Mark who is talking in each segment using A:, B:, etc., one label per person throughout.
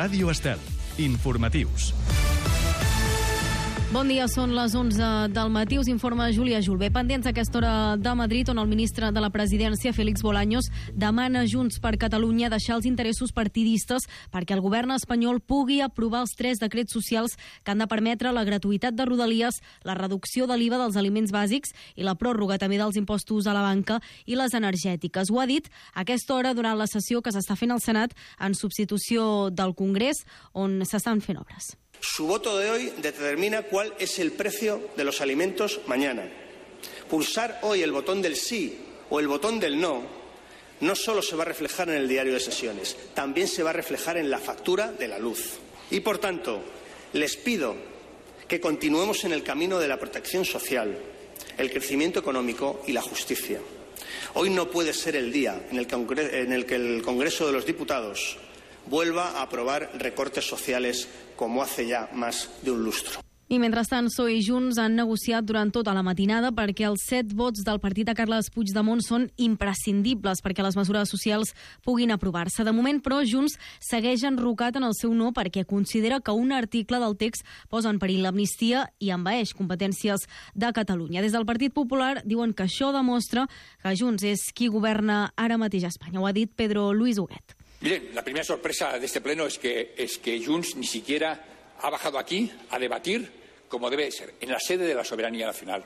A: Ràdio Estel. Informatius.
B: Bon dia, són les 11 del matí. Us informa Júlia Julbé. Pendents a aquesta hora de Madrid, on el ministre de la Presidència, Félix Bolaños, demana a Junts per Catalunya deixar els interessos partidistes perquè el govern espanyol pugui aprovar els 3 decrets socials que han de permetre la gratuïtat de Rodalies, la reducció de l'IVA dels aliments bàsics i la pròrroga també dels impostos a la banca i les energètiques. Ho ha dit a aquesta hora durant la sessió que s'està fent al Senat en substitució del Congrés, on s'estan fent obres.
C: Su voto de hoy determina cuál es el precio de los alimentos mañana. Pulsar hoy el botón del sí o el botón del no solo se va a reflejar en el diario de sesiones, también se va a reflejar en la factura de la luz. Y por tanto, les pido que continuemos en el camino de la protección social, el crecimiento económico y la justicia. Hoy no puede ser el día en el que el Congreso de los Diputados vuelva a aprobar recortes sociales como hace ya más de un lustro.
B: I mentrestant, PSOE i Junts han negociat durant tota la matinada perquè els 7 vots del partit de Carles Puigdemont són imprescindibles perquè les mesures socials puguin aprovar-se. De moment, però, Junts segueix enrocat en el seu no perquè considera que un article del text posa en perill l'amnistia i envaeix competències de Catalunya. Des del Partit Popular diuen que això demostra que Junts és qui governa ara mateix a Espanya. Ho ha dit Pedro Luis Huguet.
D: Miren, la primera sorpresa de este pleno es que Junts ni siquiera ha bajado aquí a debatir como debe ser, en la sede de la soberanía nacional.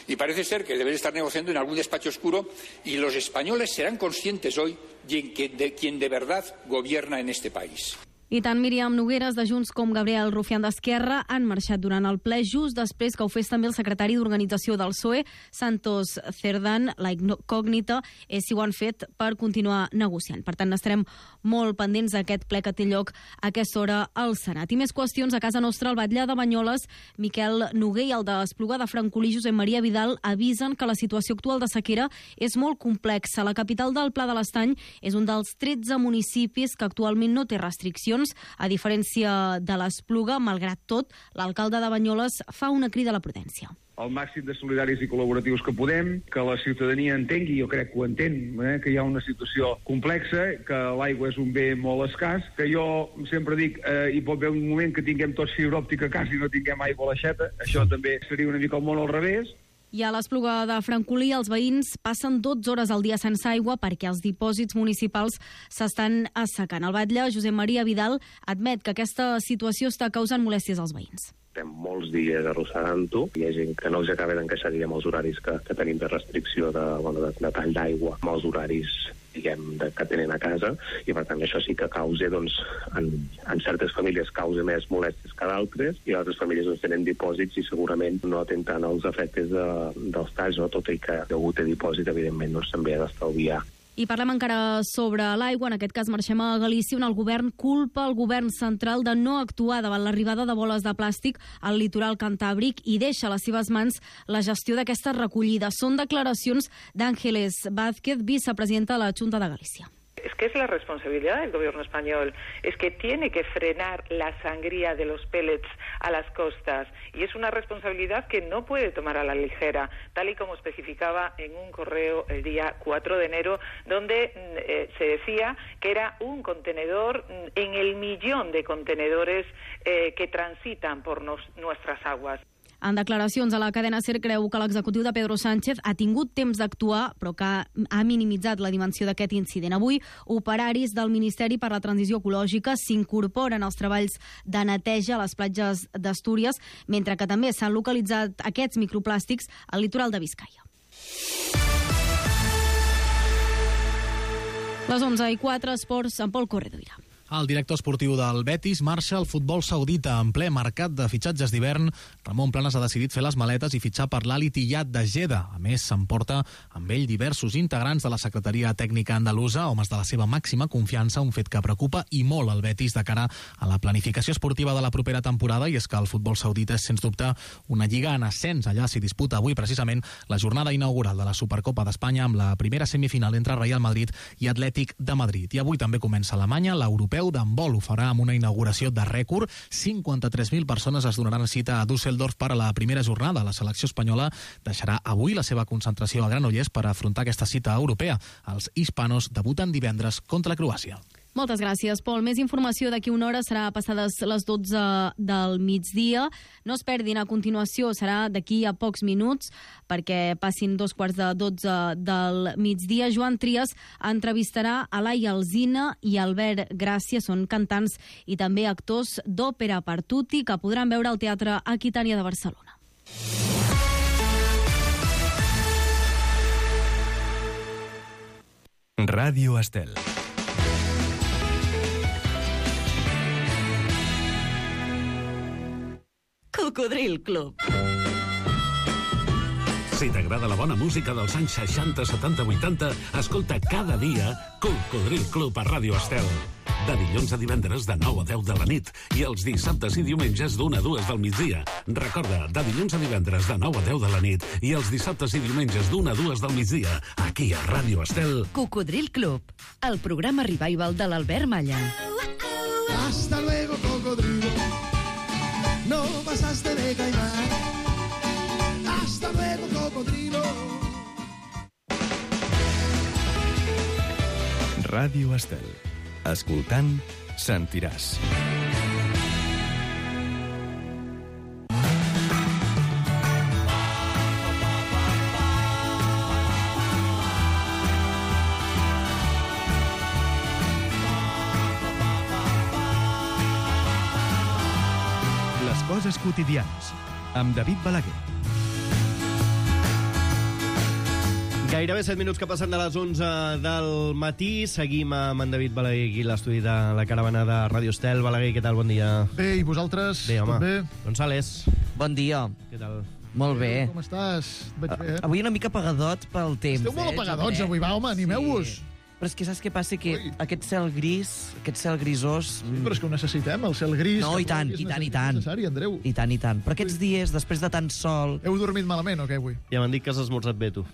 D: Y parece ser que deben estar negociando en algún despacho oscuro y los españoles serán conscientes hoy de quién de verdad gobierna en este país.
B: I tant Míriam Nogueras de Junts com Gabriel Rufián d'Esquerra han marxat durant el ple just després que ho fes també el secretari d'Organització del PSOE, Santos Cerdán. La incògnita és si ho han fet per continuar negociant. Per tant, estarem molt pendents d'aquest ple que té lloc a aquesta hora al Senat. I més qüestions a casa nostra. El batlle de Banyoles, Miquel Noguer, i el d'Espluga de Francolí, Josep Maria Vidal, avisen que la situació actual de sequera és molt complexa. La capital del Pla de l'Estany és un dels 13 municipis que actualment no té restriccions. A diferència de l'Espluga, malgrat tot, l'alcalde de Banyoles fa una crida a la prudència.
E: El màxim de solidaris i col·laboratius que podem, que la ciutadania entengui, jo crec que ho entén, que hi ha una situació complexa, que l'aigua és un bé molt escàs, que jo sempre dic, hi pot haver un moment que tinguem tots fibra òptica a casa i no tinguem aigua a l'aixeta, això també seria una mica el món al revés.
B: I a l'Espluga de Francolí els veïns passen 12 hores al dia sense aigua perquè els dipòsits municipals s'estan assecant. El batlle, Josep Maria Vidal, admet que aquesta situació està causant molèsties als veïns.
F: Estem molts dies arrossegant-ho. Hi ha gent que no els acaba d'encaixar amb els horaris que tenim de restricció de tall d'aigua, amb els horaris que tenen a casa, i per tant això sí que causa, en certes famílies causa més molèsties que d'altres, i altres famílies tenen dipòsits i segurament no tenen els efectes dels talls, tot i que degut a dipòsit evidentment també ha d'estalviar.
B: I parlem encara sobre l'aigua. En aquest cas marxem a Galícia, on el govern culpa el govern central de no actuar davant l'arribada de boles de plàstic al litoral cantàbric i deixa a les seves mans la gestió d'aquesta recollida. Són declaracions d'Ángeles Vázquez, vicepresidenta de la Junta de Galícia.
G: Es que es la responsabilidad del gobierno español, es que tiene que frenar la sangría de los pellets a las costas y es una responsabilidad que no puede tomar a la ligera, tal y como especificaba en un correo el día 4 de enero, donde se decía que era un contenedor en el millón de contenedores que transitan por nuestras aguas.
B: En declaracions a la cadena SER creu que l'executiu de Pedro Sánchez ha tingut temps d'actuar, però que ha minimitzat la dimensió d'aquest incident. Avui, operaris del Ministeri per la Transició Ecològica s'incorporen als treballs de neteja a les platges d'Astúries, mentre que també s'han localitzat aquests microplàstics al litoral de Biscaia. Les 11:04, esports amb Pol Corredoira.
H: El director esportiu del Betis marxa al futbol saudita en ple mercat de fitxatges d'hivern. Ramon Planes ha decidit fer les maletes i fitxar per l'Al Ittihad de Jeddah. A més, s'emporta amb ell diversos integrants de la Secretaria Tècnica Andalusa, homes de la seva màxima confiança, un fet que preocupa i molt el Betis de cara a la planificació esportiva de la propera temporada, i és que el futbol saudita és, sens dubte, una lliga en ascens. Allà s'hi disputa avui precisament la jornada inaugural de la Supercopa d'Espanya amb la primera semifinal entre Real Madrid i Atlètic de Madrid. I avui també comença a Alemanya l'europeu d'handbol. Ho farà amb una inauguració de rècord. 53.000 persones es donaran cita a Düsseldorf per a la primera jornada. La selecció espanyola deixarà avui la seva concentració a Granollers per afrontar aquesta cita europea. Els hispanos debuten divendres contra Croàcia.
B: Moltes gràcies, Pol. Més informació d'aquí una hora serà passades les 12 del migdia. No es perdin, a continuació serà d'aquí a pocs minuts, perquè passin 12:15 del migdia. Joan Trias entrevistarà a Laia Alsina i Albert Gràcia, són cantants i també actors d'òpera per tutti, que podran veure al Teatre Aquitània de Barcelona.
A: Ràdio Estel.
I: Cocodril Club.
J: Si t'agrada la bona música dels anys 60, 70, 80, escolta cada dia Cocodril Club a Ràdio Estel. De dilluns a divendres de 9 a 10 de la nit i els dissabtes i diumenges d'1 a 2 del migdia. Recorda, de dilluns a divendres de 9 a 10 de la nit i els dissabtes i diumenges d'1 a 2 del migdia, aquí a Ràdio Estel.
I: Cocodril Club, el programa revival de l'Albert Malla.
K: Hasta luego, cocodrilo. No pasaste de caimán. Hasta luego, cocodrilo.
A: Ràdio Estel. Escoltant, sentiràs. Les coses quotidianes, amb David Balaguer.
L: Gairebé 7 minuts que passen de les 11 del matí. Seguim amb en David Balaguer aquí a l'estudi de la caravana de Ràdio Estel. Balaguer, què tal? Bon dia.
K: Bé, i vosaltres?
L: Bé, home.
K: Tot bé?
L: González.
M: Bon dia.
L: Què tal?
M: Molt bé.
K: Com estàs? Veig bé.
M: Avui una mica apagadot pel temps.
K: Esteu molt apagadots avui, va, home, animeu-vos.
M: Sí. Però és que saps què passa? Que aquest cel gris, aquest cel grisós...
K: Però és que ho necessitem, el cel gris.
M: No, i tant, i tant, i tant.
K: Necessari, Andreu.
M: I tant, i tant. Però aquests dies, després de tant sol...
K: Heu dormit malament o què, avui?
L: Ja m'han dit que has esmorzat bé, tu.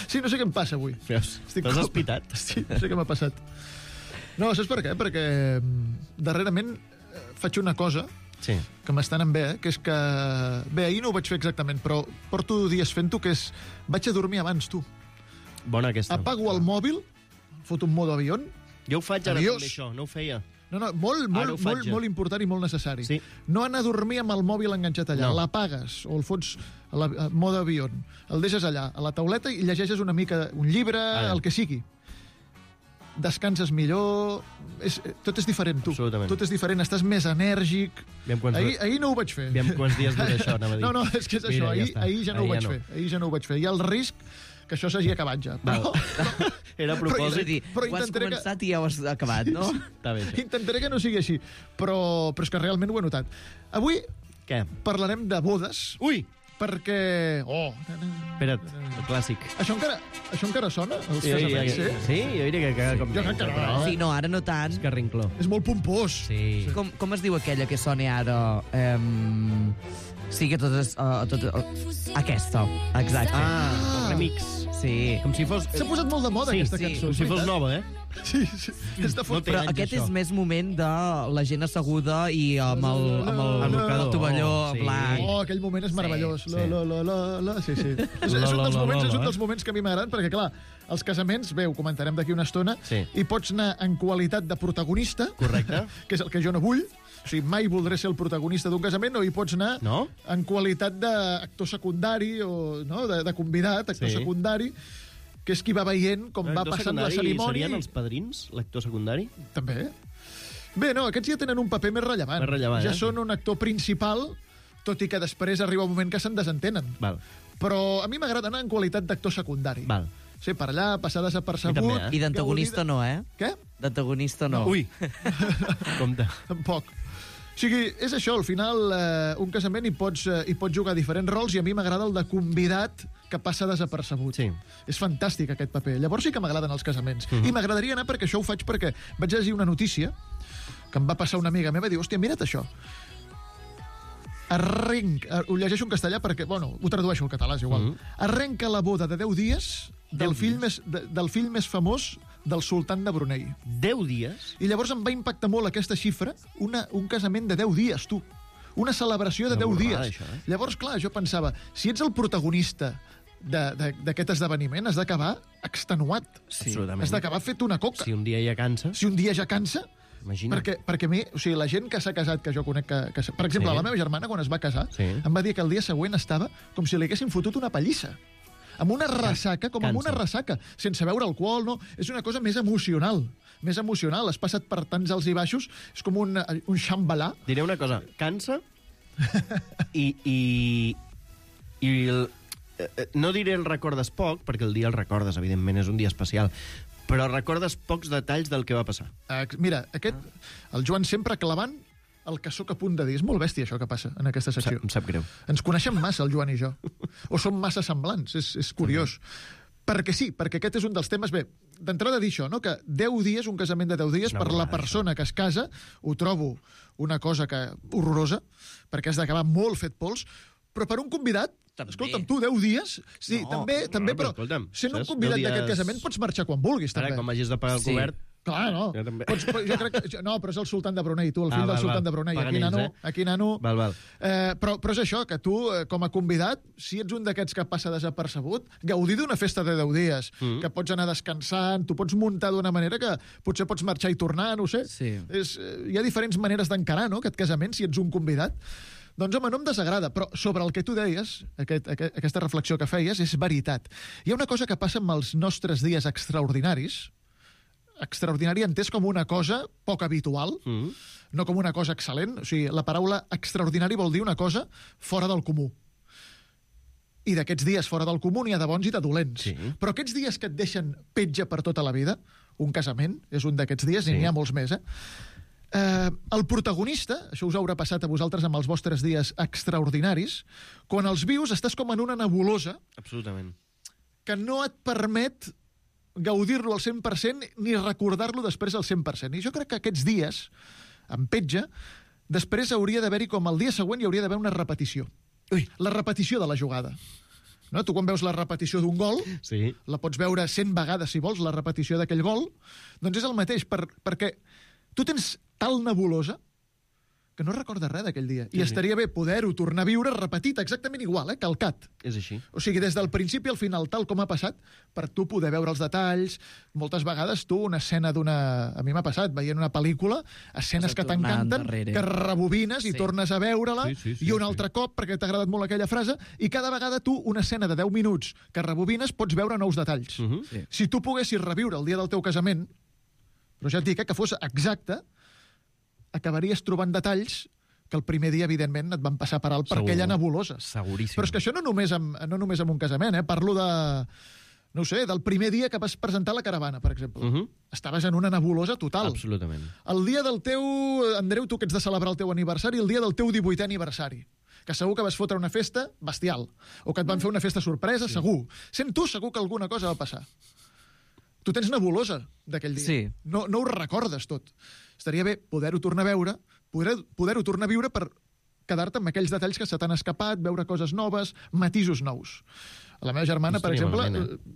K: Sí, no sé què em passa avui.
L: Veus? T'has espitat?
K: Sí, no sé què m'ha passat. No, saps per què? Perquè darrerament faig una cosa
L: sí,
K: que m'està anant bé, que és que... Bé, ahir no ho vaig fer exactament, però porto dies fent-ho, que és... Vaig a dormir abans, tu.
L: Bona aquesta.
K: Apago el mòbil, foto un modo avión.
L: Jo ho faig ara també, això, no ho feia.
K: No, molt important i molt necessari.
L: Sí.
K: No anar a dormir amb el mòbil enganxat allà. No. L'apagues o el fots a modo avión. El deixes allà, a la tauleta, i llegeixes una mica un llibre, el que sigui. Descanses millor... Tot és diferent, tu.
L: Absolutament.
K: Tot és diferent, estàs més enèrgic. Ahir no ho vaig fer.
L: Aviam quants dies dura això, anava a dir.
K: No, és que és això. Ahir ja no ho vaig fer. Ahir ja no ho vaig fer. Hi ha el risc que això s'hagi acabat ja. Però,
M: era a propòsit. Però ho has començat i ja ho has acabat, no?
L: Està bé.
K: Intentaré que no sigui així, però és que realment ho he notat. Avui parlarem de bodes.
L: Ui!
K: Perquè...
L: Espera't, el clàssic.
K: Això encara sona? Els casaments,
L: sí? Jo diria que...
K: Jo crec que no.
M: Sí, no, ara no tant.
L: És carrincló.
K: És molt pompós.
L: Sí.
M: Com es diu aquella que sona ara... Sí, que tot és... Aquesta, exacte.
L: Un remix.
M: Sí.
L: Com si fos...
K: S'ha posat molt de moda aquesta cançó.
L: Com si fos nova,
K: Sí.
M: Però aquest és més moment de la gent asseguda i amb el tovalló blanc.
K: Oh, aquell moment és meravellós. Sí. És un dels moments que a mi m'agraden, perquè, clar, els casaments, bé, ho comentarem d'aquí una estona, i pots anar en qualitat de protagonista,
L: correcte,
K: que és el que jo no vull. O sigui, mai voldré ser el protagonista d'un casament, o hi pots anar en qualitat d'actor secundari o de convidat, actor secundari, que és qui va veient com va passant la cerimònia.
L: Serien els padrins, l'actor secundari?
K: També. Bé, no, aquests ja tenen un paper més rellevant. Ja són un actor principal, tot i que després arriba un moment que se'n desentenen.
L: Val.
K: Però a mi m'agrada anar en qualitat d'actor secundari.
L: Val.
K: Sí, per allà, passar desapercebut.
M: I d'antagonista no,
K: Què?
M: D'antagonista no.
L: Ui! Compte.
K: Tampoc. O sigui, és això, al final, un casament hi pots jugar diferents rols, i a mi m'agrada el de convidat que passa desapercebut.
L: Sí.
K: És fantàstic, aquest paper. Llavors sí que m'agraden els casaments. I m'agradaria anar, perquè això ho faig perquè vaig llegir una notícia que em va passar una amiga meva i diu, hòstia, mira't això. Ho llegeixo en castellà perquè, bueno, ho tradueixo al català, és igual. Arrenca la boda de 10 dies del fill més famós del sultan de Brunei.
L: 10 dies?
K: I llavors em va impactar molt aquesta xifra, un casament de 10 dies, tu. Una celebració de 10 dies.
L: Això,
K: Llavors, clar, jo pensava, si ets el protagonista d'aquest esdeveniment has d'acabar extenuat.
L: Sí. Absolutament.
K: Has d'acabar fet una coca.
L: Si un dia ja cansa...
K: Si un dia ja cansa...
L: Imagina.
K: Perquè a mi, o sigui, la gent que s'ha casat, que jo conec que per exemple, la meva germana, quan es va casar, em va dir que el dia següent estava com si li haguessin fotut una pallissa. Amb una ressaca, amb una ressaca, sense beure alcohol, no? És una cosa més emocional. Més emocional. Has passat per tants alts i baixos, és com un xambalà.
L: Diré una cosa, cansa no diré el recordes poc, perquè el dia el recordes, evidentment, és un dia especial, però recordes pocs detalls del que va passar.
K: Mira, el Joan sempre clavant el que sóc a punt de dir. És molt bèstia això que passa en aquesta secció.
L: Em sap greu.
K: Ens coneixem massa, el Joan i jo. O som massa semblants, és curiós. Perquè sí, perquè aquest és un dels temes... Bé, d'entrada dir això, no? Que 10 dies, un casament de 10 dies, per la persona que es casa, ho trobo una cosa horrorosa, perquè has d'acabar molt fet pols, però per un convidat, escolta'm, tu 10 dies... Sí, també, però sent un convidat d'aquest casament pots marxar quan vulguis, també.
L: Ara, quan hagis de pagar el cobert...
K: Clar, no. Jo crec que... No, però és el sultan de Brunei, tu, el fill del sultan de Brunei. Aquí, nano.
L: Val.
K: Però és això, que tu, com a convidat, si ets un d'aquests que passa desapercebut, gaudir d'una festa de 10 dies, que pots anar descansant, tu pots muntar d'una manera que potser pots marxar i tornar, no ho sé.
M: Sí.
K: Hi ha diferents maneres d'encarar, no?, aquest casament, si ets un convidat. Doncs, home, no em desagrada, però sobre el que tu deies, aquesta reflexió que feies, és veritat. Hi ha una cosa que passa amb els nostres dies extraordinaris, extraordinari entès com una cosa poc habitual, no com una cosa excel·lent. O sigui, la paraula extraordinari vol dir una cosa fora del comú. I d'aquests dies fora del comú n'hi ha de bons i de dolents.
L: Sí.
K: Però aquests dies que et deixen petja per tota la vida, un casament és un d'aquests dies, i n'hi ha molts més, el protagonista, això us haurà passat a vosaltres amb els vostres dies extraordinaris, quan els vius estàs com en una nebulosa.
L: Absolutament.
K: Que no et permet gaudir-lo al 100% ni recordar-lo després al 100%. I jo crec que aquests dies, en petja, després hauria d'haver-hi, com el dia següent, hi hauria d'haver una repetició. La repetició de la jugada. No? Tu quan veus la repetició d'un gol, la pots veure 100 vegades, si vols, la repetició d'aquell gol, doncs és el mateix, perquè tu tens tal nebulosa que no recordes res d'aquell dia. I estaria bé poder-ho tornar a viure repetit exactament igual, calcat.
L: És així.
K: O sigui, des del principi al final, tal com ha passat, per tu poder veure els detalls. Moltes vegades tu, una escena d'una... A mi m'ha passat, veient una pel·lícula, escenes que t'encanten, que rebobines i tornes a veure-la, i un altre cop, perquè t'ha agradat molt aquella frase, i cada vegada tu, una escena de 10 minuts que rebobines, pots veure nous detalls. Si tu poguessis reviure el dia del teu casament, però ja et dic que fos exacte, acabaries trobant detalls que el primer dia, evidentment, et van passar per alt per aquella nebulosa.
L: Seguríssim.
K: Però és que això no només amb un casament, Parlo de... No ho sé, del primer dia que vas presentar la caravana, per exemple. Estaves en una nebulosa total.
L: Absolutament.
K: El dia del teu... Andreu, tu que ets de celebrar el teu aniversari, el dia del teu 18è aniversari. Que segur que vas fotre una festa bestial. O que et van fer una festa sorpresa, segur. Sent tu, segur que alguna cosa va passar. Tu tens nebulosa d'aquell dia.
M: Sí.
K: No ho recordes tot. Estaria bé poder-ho tornar a veure, poder-ho tornar a viure per quedar-te amb aquells detalls que se t'han escapat, veure coses noves, matisos nous. A la meva germana, per exemple,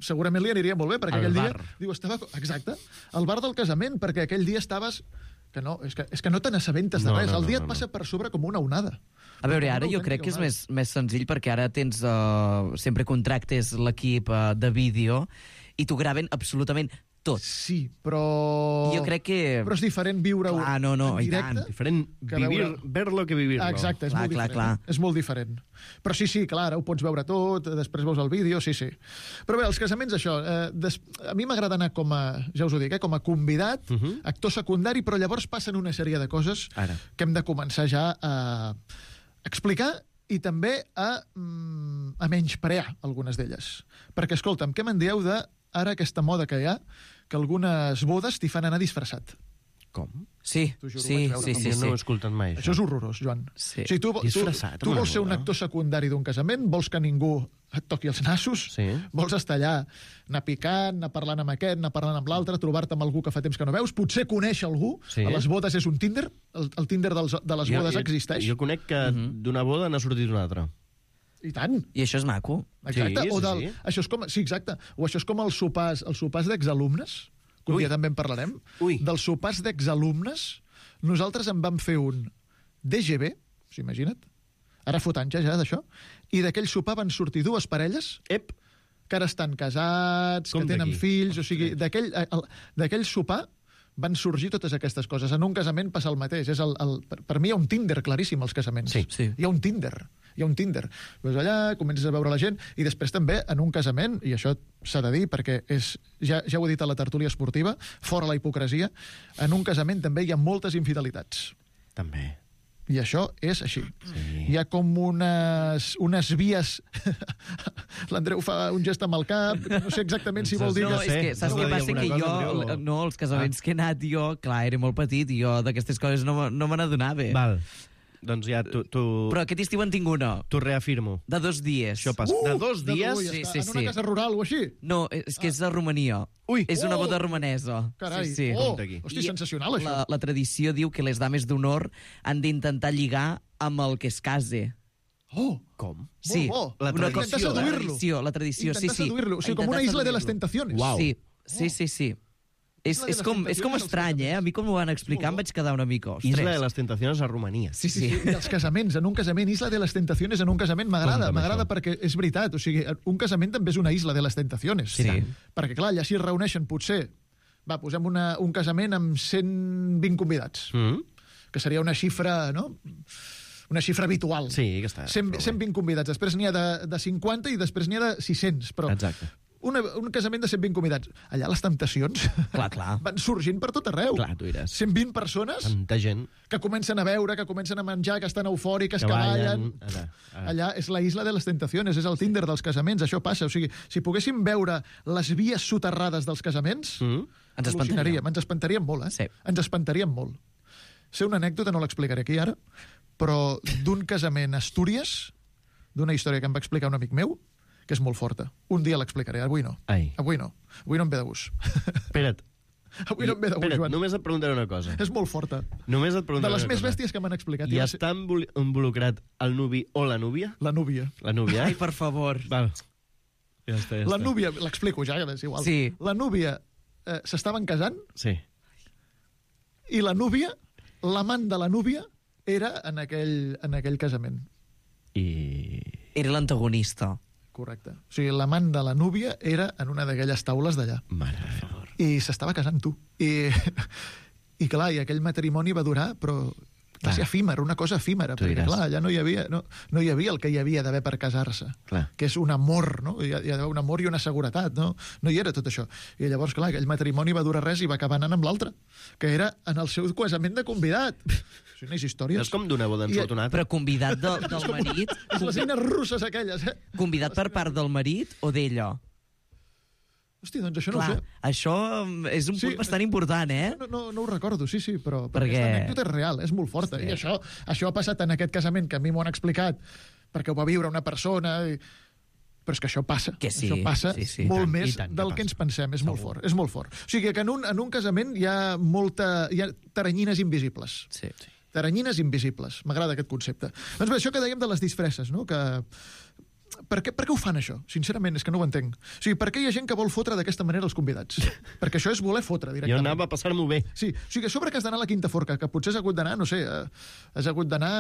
K: segurament li aniria molt bé, perquè aquell dia... Diu, estava... Exacte, al bar del casament, perquè aquell dia estaves... Que no, és que no te n'assabentes de res. El dia et passa per sobre com una onada.
M: A veure, ara jo crec que és més senzill, perquè ara tens... sempre contractes l'equip de vídeo i t'ho graven absolutament tot.
K: Sí, però...
M: Jo crec que...
K: Però és diferent viure-ho en directe.
L: Diferent ver-lo que vivir-lo.
K: Exacte, és molt diferent.
M: Clar.
K: És molt diferent. Però sí, clar, ara ho pots veure tot, després veus el vídeo, sí. Però bé, els casaments, això, a mi m'agrada anar com a, ja us ho dic, com a convidat, actor secundari, però llavors passen una sèrie de coses que hem de començar ja a explicar i també a menysprear algunes d'elles. Perquè, escolta'm, què me'n dieu de ara aquesta moda que hi ha, que algunes bodes t'hi fan anar disfressat?
L: Com?
M: Sí.
L: No ho he escoltat mai,
K: això és horrorós, Joan.
M: Sí.
K: O sigui, tu vols ser un actor secundari d'un casament, vols que ningú et toqui els nassos, vols estar allà, anar picant, anar parlant amb aquest, anar parlant amb l'altre, trobar-te amb algú que fa temps que no veus, potser conèixer algú, a les bodes és un Tinder, el Tinder de les bodes existeix.
L: Jo conec que d'una boda n'ha sortit una altra.
K: I tant.
M: I això és maco.
K: Exacte. Això és com, sí, exacte. O això és com els sopars d'exalumnes, que un dia també en parlarem. Dels sopars d'exalumnes, nosaltres en vam fer un DGB, imagina't, ara fot anys ja d'això, i d'aquell sopar van sortir dues parelles que ara estan casats, que tenen fills, o sigui, d'aquell sopar van sorgir totes aquestes coses. En un casament passa el mateix. Per mi hi ha un Tinder claríssim als casaments.
M: Sí.
K: Hi ha un Tinder. Vas allà, comences a veure la gent, i després també, en un casament, i això s'ha de dir, perquè ja ho he dit a la tertúlia esportiva, fora la hipocresia, en un casament també hi ha moltes infidelitats.
L: També.
K: I això és així. Sí. Hi ha com unes vies... L'Andreu fa un gest amb el cap, no sé exactament si vol dir...
M: No, és que saps què passa? Que jo, no, els casaments que he anat jo, clar, era molt petit, i jo d'aquestes coses no me n'adonava.
L: Val. Doncs ja tu...
M: Però aquest estiu en tinc una.
L: T'ho reafirmo.
M: De 2 dies.
L: Això passa. De 2 dies?
K: Sí. En una casa rural o així?
M: No, és que és a Romania. És una boda romanesa.
K: Carai.
M: Sí.
K: Hosti, sensacional, això.
M: La tradició diu que les dames d'honor han d'intentar lligar amb el que es case.
L: Com?
M: Sí.
K: Molt bo.
L: La tradició.
M: La tradició, sí.
K: Intentar seduir-lo. O sigui, com una isla de les tentaciones.
L: Uau.
M: Sí. És com estrany, A mi com m'ho van explicar em vaig quedar una mica... Ostres.
L: Isla de les Tentaciones a Romania.
K: Sí. I els casaments, en un casament, Isla de les Tentaciones en un casament m'agrada perquè és veritat. O sigui, un casament també és una Isla de les Tentaciones.
M: Sí.
K: Perquè, clar, allà s'hi reuneixen potser... Va, posem un casament amb 120 convidats. Que seria una xifra, no? Una xifra habitual.
L: Sí, que està...
K: 120 convidats. Després n'hi ha de 50 i després n'hi ha de 600. Però
L: exacte.
K: Un casament de 120 convidats. Allà les temptacions
M: clar.
K: van sorgint per tot arreu.
L: Clar, tu diràs.
K: 120 persones
L: tanta gent
K: que comencen a veure, que comencen a menjar, que estan eufòriques, que ballen. Allà és la isla de les tentaciones, és el Tinder dels casaments, això passa. O sigui, si poguéssim veure les vies soterrades dels casaments,
M: ens
K: espantaríem molt,
M: Sí.
K: Ens espantaríem molt. Sé una anècdota, no l'explicaré aquí ara, però d'un casament a Astúries, d'una història que em va explicar un amic meu, que és molt forta. Un dia l'explicaré, avui no. Avui no em ve de gust.
L: Espera't.
K: Avui no em ve de gust, Joan.
L: Només et preguntaré una cosa.
K: És molt forta.
L: Només et preguntaré
K: de les
L: una
K: més
L: cosa.
K: bèsties que m'han explicat.
L: I està involucrat el nuvi o la núvia?
K: La núvia.
L: La núvia,
M: Ai, per favor.
L: Val. Ja està.
K: La núvia, l'explico ja, és igual.
M: Sí.
K: La núvia s'estaven casant.
L: Sí.
K: I la núvia, l'amant de la núvia, era en aquell casament.
M: Era l'antagonista.
K: Correcte. O sigui, l'amant de la núvia era en una d'aquelles taules d'allà.
L: Mare de favor.
K: I s'estava casant, tu. I clar, i aquell matrimoni va durar, però va ser efímer, una cosa efímera, perquè clar, allà no hi havia el que hi havia d'haver per casar-se, que és un amor, no? Hi ha d'haver un amor i una seguretat, no? No hi era tot això. I llavors, clar, aquell matrimoni va durar res i va acabar anant amb l'altre, que era en el seu casament de convidat. Són unes històries...
L: No és com d'una boda en sota una altra.
M: Però convidat del marit...
K: Les eines russes aquelles,
M: Convidat per part del marit o d'ella?
K: Hòstia, doncs això no ho sé.
M: Això és un punt bastant important,
K: No ho recordo, sí, però aquesta anècdota és real, és molt forta. I això ha passat en aquest casament, que a mi m'ho han explicat, perquè ho va viure una persona... Però és que això passa. Això passa molt més del que ens pensem. És molt fort. És molt fort. O sigui que en un casament hi ha taranyines invisibles.
M: Sí.
K: Taranyines invisibles. M'agrada aquest concepte. Doncs bé, això que dèiem de les disfresses, no? Per què ho fan, això? Sincerament, és que no ho entenc. O sigui, per què hi ha gent que vol fotre d'aquesta manera els convidats? Perquè això és voler fotre, directament.
L: Jo anava a passar-m'ho bé.
K: Sí, o sigui, a sobre que has d'anar a la Quinta Forca, que potser has hagut d'anar, no sé, has hagut d'anar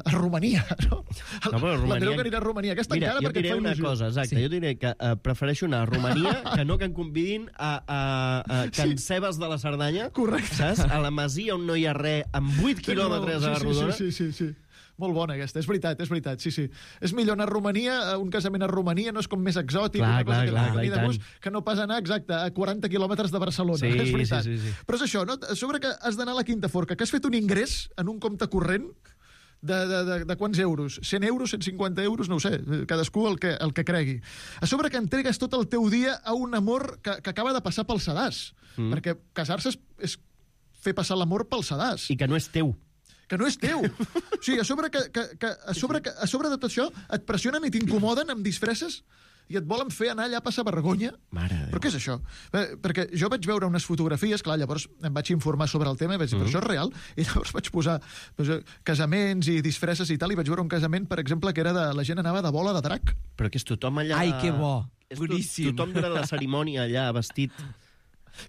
K: a Romania, no? L'Andreu que anirà a Romania. Aquesta encara perquè et fa il·lusió.
L: Mira, jo diré una cosa, exacte. Jo diré que prefereixo anar a Romania que no que em convidin a Can Cebes de la Cerdanya.
K: Correcte.
L: Saps? A la Masia on no hi ha res, amb 8 quilòmetres a la rodona.
K: Sí. Molt bona aquesta, és veritat, sí. És millor anar a Romania, a un casament a Romania, no és com més exòtic, una cosa que no pas anar, exacte, a 40 quilòmetres de Barcelona, és veritat.
L: Sí.
K: Però és això, no? A sobre que has d'anar a la Quinta Forca, que has fet un ingrés en un compte corrent de quants euros? 100 euros, 150 euros, no ho sé, cadascú el que cregui. A sobre que entregues tot el teu dia a un amor que acaba de passar pel sedàs, perquè casar-se és fer passar l'amor pel sedàs.
L: I que no és teu.
K: Que no és teu. O sigui, a sobre de tot això et pressionen i t'incomoden amb disfresses i et volen fer anar allà a passar vergonya.
L: Mare de Déu.
K: Però què és això? Perquè jo vaig veure unes fotografies, clar, llavors em vaig informar sobre el tema i vaig dir, però això és real? I llavors vaig posar casaments i disfresses i tal, i vaig veure un casament, per exemple, que era la gent anava de bola de drac.
L: Però que és tothom allà...
M: Ai, que bo.
L: Boníssim. Tothom durant la cerimònia allà vestit...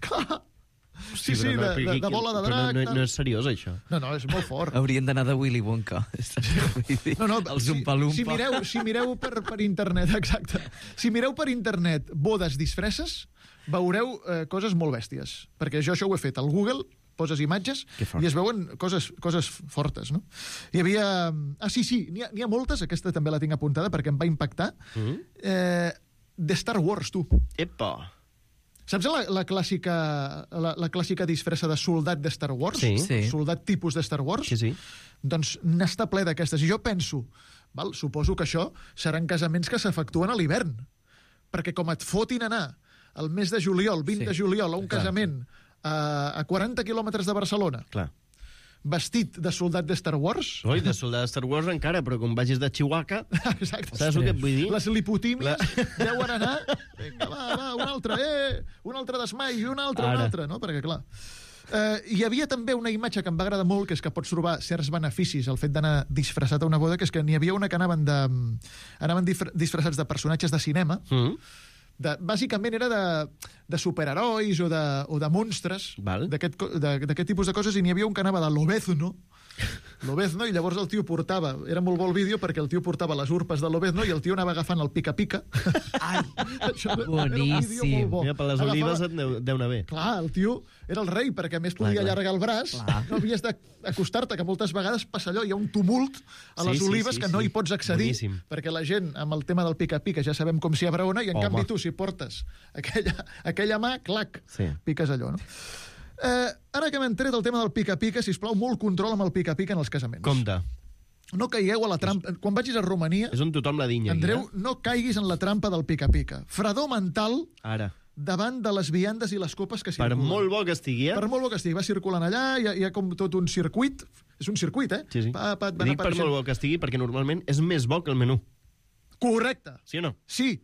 K: Clar. Sí, de bola de drac.
L: No és seriós, això.
K: No, és molt fort.
M: Haurien d'anar de Willy Wonka.
K: No,
M: el Zumpa-Lumpa.
K: Si mireu per internet, exacte. Si mireu per internet bodes disfresses, veureu coses molt bèsties. Perquè jo això ho he fet al Google, poses imatges i es veuen coses fortes, no? Hi havia... Sí, n'hi ha moltes, aquesta també la tinc apuntada perquè em va impactar. De Star Wars, tu.
L: Epa!
K: Saps la clàssica disfressa de soldat de Star Wars?
L: Sí.
K: Soldat tipus de Star Wars?
L: Sí.
K: Doncs n'està ple d'aquestes. I jo penso, suposo que això seran casaments que s'efectuen a l'hivern. Perquè com et fotin anar el mes de juliol, 20 de juliol, a un casament a 40 quilòmetres de Barcelona, vestit de soldat de Star Wars...
L: Oi, de soldat de Star Wars encara, però com vagis de Chihuahua...
K: Exacte.
L: Saps el que et vull dir?
K: Les lipotímies deuen anar... Vinga, va, un altre d'esmai i un altre, no? Perquè, clar... Hi havia també una imatge que em va agradar molt, que és que pots trobar certs beneficis al fet d'anar disfressat a una boda, que és que n'hi havia una que anaven disfressats de personatges de cinema, bàsicament era de superherois o de monstres, d'aquest tipus de coses, i n'hi havia un que anava de Lobezno, i llavors el tio portava, era molt bo el vídeo perquè el tio portava les urpes de Lobezno i el tio anava agafant el pica-pica.
M: Boníssim.
L: Mira, per les olives et deu anar bé.
K: Clar, el tio era el rei, perquè a més podia allargar el braç, no havies d'acostar-te, que moltes vegades passa allò, hi ha un tumult a les olives que no hi pots accedir, perquè la gent, amb el tema del pica-pica, ja sabem com s'hi abraona, i en canvi tu, si portes aquella mà, clac, piques allò, no? Ara que m'he tret el tema del pica-pica, sisplau, molt control amb el pica-pica en els casaments.
L: Compte.
K: No caigueu a la trampa. Quan vagis a Romania...
L: És on tothom la dinya.
K: Andreu, no caiguis en la trampa del pica-pica. Fredor mental davant de les viandes i les copes que circulen.
L: Per molt bo que estigui,
K: Per molt bo que estigui. Va circulant allà, hi ha com tot un circuit. És un circuit,
L: Sí. Dic per molt bo que estigui perquè normalment és més bo que el menú.
K: Correcte.
L: Sí o no?
K: Sí.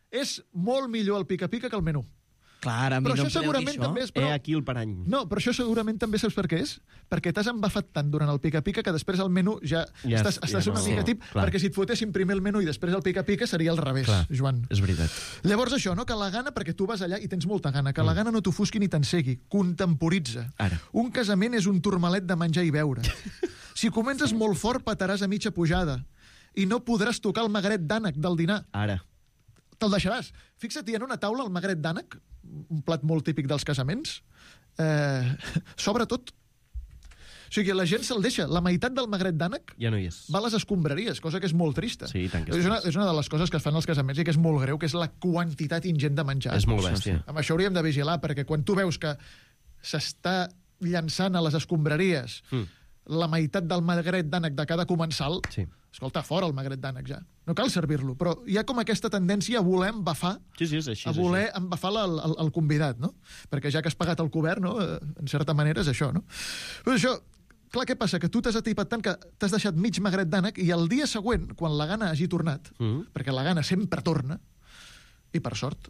K: És molt millor el pica-pica que el menú.
M: Clar, a mi
K: però
M: no
K: això segurament també és...
L: aquí el parany.
K: No, però això segurament també saps per què és? Perquè t'has embafat tant durant el pica-pica que després el menú estàs una mica tip, perquè si et fotessin primer el menú i després el pica-pica seria al revés, Joan.
L: És veritat.
K: Llavors això, no? Que la gana, perquè tu vas allà i tens molta gana, que la gana no t'ofusqui ni t'encegui, contemporitza. Un casament és un turmalet de menjar i beure. Si comences molt fort, petaràs a mitja pujada i no podràs tocar el magret d'ànec del dinar. Te'l deixaràs. Fixa't, hi ha una taula, el magret d'ànec, un plat molt típic dels casaments, sobretot. O sigui, la gent se'l deixa. La meitat del magret d'ànec
L: ja no hi és.
K: Va a les escombraries, cosa que és molt trista.
L: Sí, tant que
K: és una de les coses que es fan als casaments i que és molt greu, que és la quantitat ingent de menjar.
L: És molt bèstia.
K: Amb això hauríem de vigilar, perquè quan tu veus que s'està llançant a les escombraries la meitat del magret d'ànec de cada comensal, escolta, fora el magret d'ànec ja. No cal servir-lo, però hi ha com aquesta tendència a voler embafar, a voler embafar el convidat, no? Perquè ja que has pagat el cobert, no? En certa manera és això, no? Però això, clar, què passa? Que tu t'has atipat tant que t'has deixat mig magret d'ànec i el dia següent, quan la gana hagi tornat, perquè la gana sempre torna, i per sort,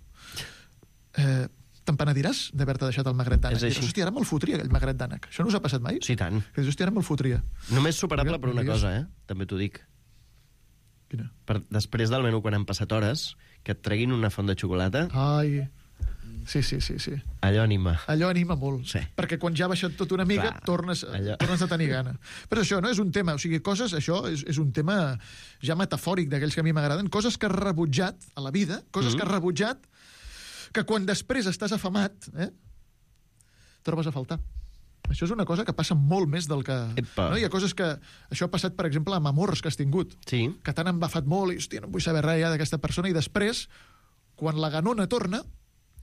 K: te'n penediràs d'haver-te deixat el magret d'ànec. Hòstia, ara me'l fotria, aquell magret d'ànec. Això no us ha passat mai?
L: Sí, tant.
K: Hòstia, ara me'l fotria.
L: Només superable per una cosa, també t'ho dic.
K: Quina?
L: Després del menú, quan han passat hores, que et treguin una font de xocolata...
K: Ai... Sí.
L: Allò anima.
K: Allò anima molt. Perquè quan ja ha baixat tot una mica, tornes a tenir gana. Però això no és un tema, o sigui, això és un tema ja metafòric d'aquells que a mi m'agraden, coses que has rebutjat a la vida, coses que has rebutjat, que quan després estàs afamat, trobes a faltar. Això és una cosa que passa molt més del que... No? Hi ha coses que... Això ha passat, per exemple, amb amors que has tingut, que t'han embafat molt i, hòstia, no vull saber res ja d'aquesta persona, i després, quan la ganona torna,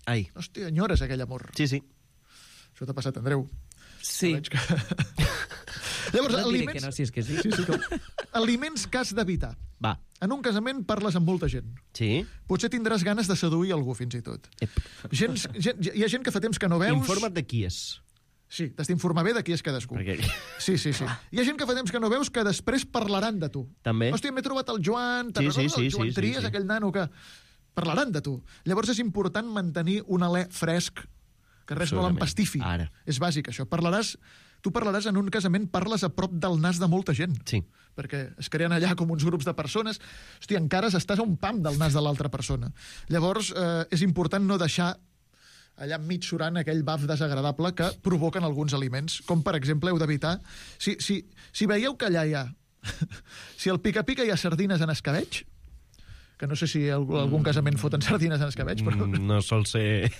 K: hòstia, enyores aquell amor.
L: Sí.
K: Això t'ha passat, Andreu.
M: Sí.
K: Llavors,
M: no diré que no, si és que sí.
K: Aliments que has d'evitar.
L: Va.
K: En un casament parles amb molta gent.
L: Sí. Potser
K: tindràs ganes de seduir algú, fins i tot. Hi ha gent que fa temps que no veus...
L: Informa't de qui és.
K: Sí, t'has d'informar bé de qui és cadascú. Sí. Hi ha gent que fa temps que no veus que després parlaran de tu.
L: També.
K: Hòstia, m'he trobat el Joan, te'n recordes el Joan Trias, aquell nano que... Parlaran de tu. Llavors és important mantenir un alè fresc, que res no l'empastifi. És bàsic, això. Tu parlaràs en un casament, parles a prop del nas de molta gent.
L: Sí.
K: Perquè es creen allà com uns grups de persones. Hòstia, encara estàs a un pam del nas de l'altra persona. Llavors, és important no deixar allà enmig surant aquell baf desagradable que provoquen alguns aliments, com per exemple heu d'evitar... Si veieu que allà hi ha... si al pica-pica hi ha sardines en escabeig, que no sé si algun casament foten sardines en escabeig, però...
L: No sol ser...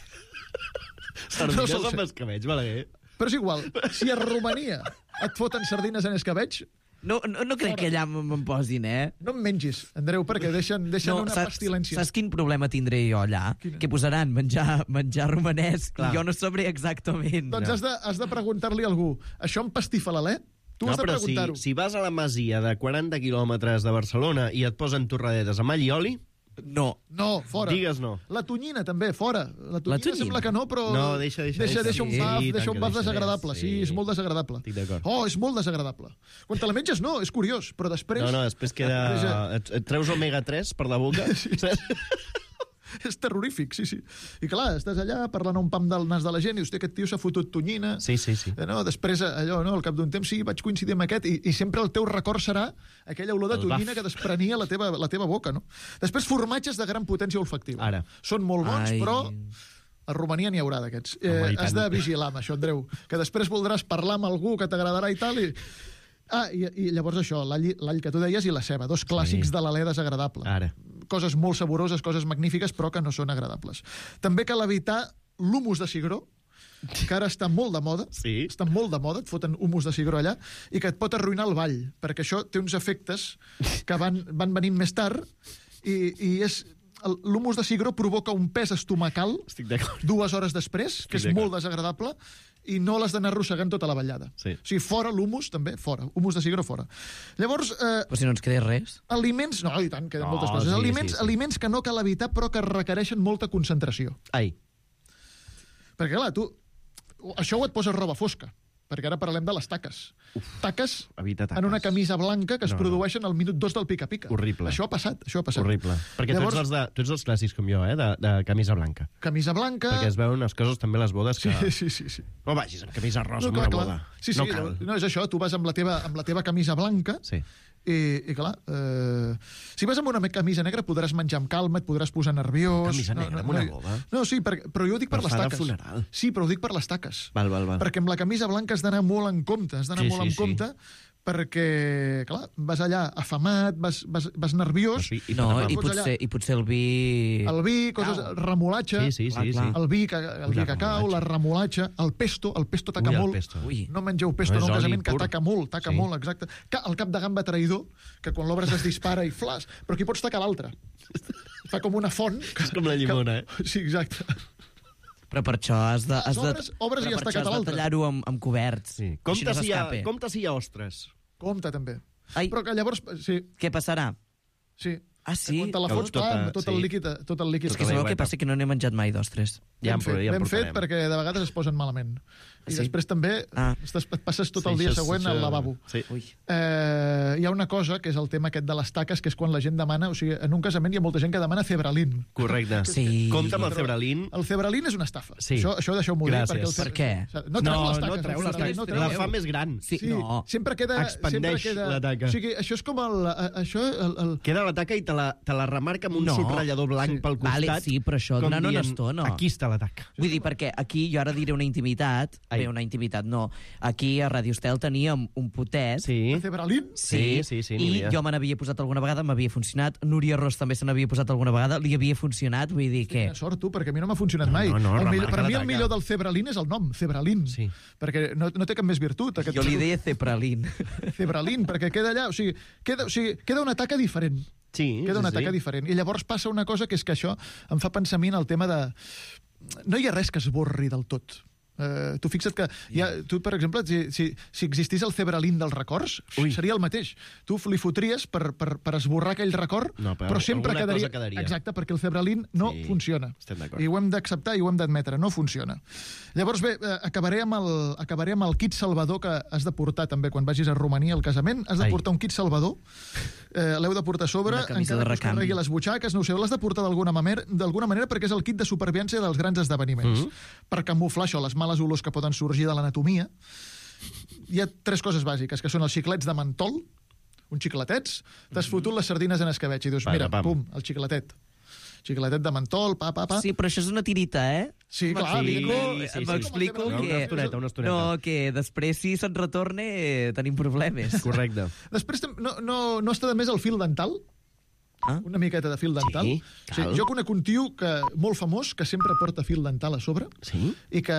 L: Sardines
K: No sol
L: amb
K: ser.
L: escabeig, Balaguer.
K: Però és igual, si a Romania et foten sardines en escabeig...
M: No crec que allà me'n posin,
K: No em mengis, Andreu, perquè deixen una pestilència.
M: Saps quin problema tindré jo allà? Que posaran menjar romanès i jo no sabré exactament.
K: Doncs has de preguntar-li a algú, això em pastifa l'alè? Tu has de preguntar-ho.
L: Si vas a la masia de 40 quilòmetres de Barcelona i et posen torradetes amb all i oli...
M: No,
K: fora.
L: Digues no.
K: La tonyina, també, fora. La tonyina sembla que no, però...
L: No, deixa
K: un baf desagradable. Sí, és molt desagradable.
L: Estic d'acord.
K: Oh, és molt desagradable. Quan te la menges, no, és curiós, però després...
L: No, després queda... Et treus omega-3 per la boca.
K: Sí. És terrorífic, sí. I clar, estàs allà parlant un pam del nas de la gent i hosti, aquest tio s'ha fotut tonyina.
L: Sí.
K: No, després, allò, no, al cap d'un temps, sí, vaig coincidir amb aquest i sempre el teu record serà aquella olor de tonyina que desprenia la teva boca, no? Després, formatges de gran potència olfactiva.
L: Ara.
K: Són molt bons, però... A Romania n'hi haurà d'aquests. Has de vigilar amb això, Andreu, que després voldràs parlar amb algú que t'agradarà i tal, i llavors això, l'all que tu deies i la ceba, dos clàssics de l'alè desagradable.
L: Ara.
K: Coses molt saboroses, coses magnífiques, però que no són agradables. També cal evitar l'humus de cigró, que ara està molt de moda, està molt de moda, et foten humus de cigró allà, i que et pot arruïnar el ball, perquè això té uns efectes que van venint més tard, i és... L'humus de cigró provoca un pes estomacal 2 hores després, que és molt desagradable, i no l'has d'anar arrossegant tota la ballada.
L: Sí.
K: O sigui, fora l'humus, també, fora. Humus de cigró, fora. Llavors...
M: Però si no ens queda res.
K: Aliments... No, i tant, queden moltes coses. Aliments que no cal evitar, però que requereixen molta concentració.
L: Ai.
K: Perquè, clar, tu... Això ho et posa roba fosca, perquè ara parlem de les taques. Taques en una camisa blanca que es produeixen al minut 2 del pica-pica.
L: Horrible.
K: Això ha passat.
L: Horrible. Perquè llavors... tu ets dels clàssics com jo, de camisa blanca.
K: Camisa blanca...
L: Perquè es veuen unes coses també a les bodes que...
K: Sí.
L: No vagis amb camisa rosa en una boda.
K: Sí, no cal. No, és això, tu vas amb la teva camisa blanca i clar, si vas amb una camisa negra podràs menjar amb calma, et podràs posar nerviós...
L: Camisa negra amb una boda?
K: No, sí, però jo ho dic per les taques.
L: Funeral.
K: Sí, però ho dic per les taques.
L: Val.
K: Perquè amb la camisa blanca has d'anar molt en compte, compte, perquè, clar, vas allà afamat, vas nerviós...
M: I potser el vi...
K: El vi, remolatge, el vi que cau, la remolatge, el pesto taca molt. No mengeu pesto en un casament que taca molt, exacte. El cap de gamba traïdor, que quan l'obres es dispara i flash, però aquí pots tacar l'altre. Fa com una font...
L: És com la llimona,
K: Sí, exacte.
M: Però per això has de
K: obres i has tacat l'altre.
M: Tallar-ho amb coberts.
L: Sí. Compte si hi ha ostres.
K: Compte, també.
M: Ai.
K: Però que llavors... Sí.
M: Què passarà?
K: Sí.
M: Ah, sí?
K: Quan te la fots, tot el líquid...
M: És que sabeu què passa? Que no n'he menjat mai d'ostres.
K: Ben fet, perquè de vegades es posen malament. I després també et passes tot el dia següent al lavabo. Hi ha una cosa, que és el tema aquest de les taques, que és quan la gent demana... O sigui, en un casament hi ha molta gent que demana cebralín.
L: Correcte. Compte amb el cebralín.
K: El cebralín és una estafa. Això deixeu-m'ho dir.
M: Per què?
K: No treu les taques.
L: La fa més gran.
K: Sempre queda...
L: Expandeix la taca.
K: O sigui, això és com el...
L: Queda la taca i te la remarca amb un subratllador blanc pel costat.
M: Sí, però això durant una estona.
L: Aquí està la taca.
M: Vull dir, perquè aquí jo ara diré una intimitat. Bé, una intimitat, no. Aquí a Radio Estel teníem un potet.
K: De cebralín?
M: Sí. I jo me n'havia posat alguna vegada, m'havia funcionat. Núria Ros també se n'havia posat alguna vegada, li havia funcionat, vull dir que...
K: Quina sort, tu, perquè a mi no m'ha funcionat mai. Per mi el millor del cebralín és el nom, cebralín. Perquè no té cap més virtut.
M: Jo li deia cebralín.
K: Cebralín, perquè queda allà... O sigui, queda una taca diferent. Queda una taca diferent. I llavors passa una cosa que és que això em fa pensar a mi en el tema de... No hi ha res que esborri del tot. Tu fixa't que tu, per exemple, si existís el cebralín dels records, seria el mateix. Tu li fotries per esborrar aquell record, però sempre quedaria. Exacte, perquè el cebralín no funciona. I ho hem d'acceptar i ho hem d'admetre, no funciona. Llavors, bé, acabaré amb el kit salvador que has de portar també quan vagis a Romania al casament. Has de portar un kit salvador, l'heu de portar a sobre, encara que us carregui les butxaques, no ho sé, l'has de portar d'alguna manera perquè és el kit de supervivència dels grans esdeveniments. Per camuflar això, les males olors que poden sorgir de l'anatomia. Hi ha 3 coses bàsiques, que són els xiclets de mentol, uns xicletets, t'has fotut les sardines en escabetx i dius, mira, pum, el xicletet. xicletet de mentol, pa.
M: Sí, però això és una tirita, eh?
K: Sí, clar,
M: m'explico que...
L: Una estoneta.
M: No, que després, si se'n retorne, tenim problemes.
L: Correcte.
K: Després no està de més el fil dental? Una miqueta de fil dental.
L: Sí, cal.
K: Jo conec un tio molt famós que sempre porta fil dental a sobre.
L: Sí?
K: I que,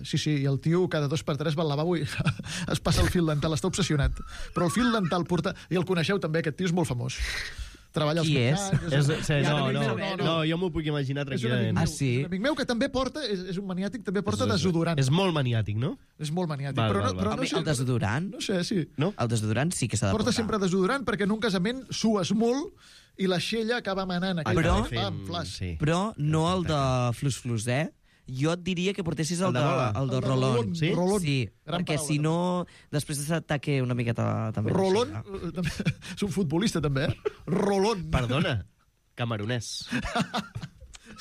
K: sí, i el tio cada 2x3 va al lavabo i es passa el fil dental, està obsessionat. Però el fil dental porta... I el coneixeu també, aquest tio és molt famós. Treballa als
L: mercats... No, jo m'ho puc imaginar tranquil·lament.
K: Un amic meu que també porta, és un maniàtic, també porta desodorant.
L: És molt maniàtic, no?
K: És molt maniàtic.
L: Val.
K: Però no sé,
M: el desodorant?
K: No sé, sí.
L: No?
M: El desodorant sí que s'ha de portar.
K: Porta sempre desodorant perquè en un casament sues molt i la xella acaba manant.
M: Però no el de flus-flus, eh? Jo et diria que portessis el de Rolón.
K: Sí?
M: Sí, perquè si no, després s'ataque una miqueta també.
K: Rolón? És un futbolista, també, eh? Rolón.
L: Perdona, camaronès.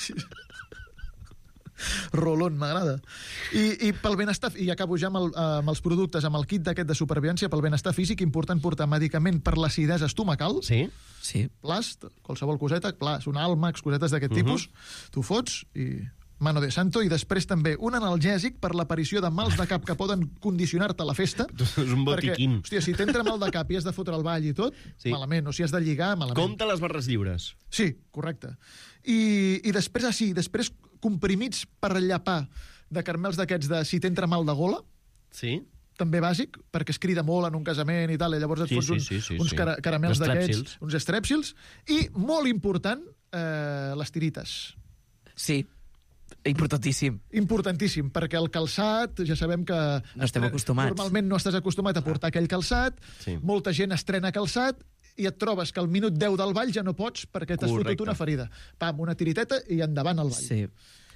K: Sí. Rolón, m'agrada. I pel benestar, i acabo ja amb els productes, amb el kit d'aquest de supervivència, pel benestar físic, important portar medicament per l'acidesa estomacal.
L: Sí.
K: Plast, qualsevol coseta, plast, un àlmax, cosetes d'aquest tipus, tu fots i... mano de santo, i després també un analgèsic per l'aparició de mals de cap que poden condicionar-te a la festa.
L: És un botiquín.
K: Perquè, hòstia, si t'entra mal de cap i has de fotre el ball i tot, malament. O si has de lligar, malament.
L: Compte les barres lliures.
K: Sí, correcte. I després comprimits per llapar de caramels d'aquests de si t'entra mal de gola.
L: Sí.
K: També bàsic, perquè es crida molt en un casament i tal, i llavors et fots uns caramels d'aquests, uns estrèpsils. I, molt important, les tirites.
M: Sí. Importantíssim.
K: Importantíssim, perquè el calçat, ja sabem que...
M: No estem acostumats.
K: Normalment no estàs acostumat a portar aquell calçat, molta gent estrena calçat, i et trobes que al minut 10 del ball ja no pots perquè t'has fotut una ferida. Pam, una tiriteta i endavant al ball.
M: Sí.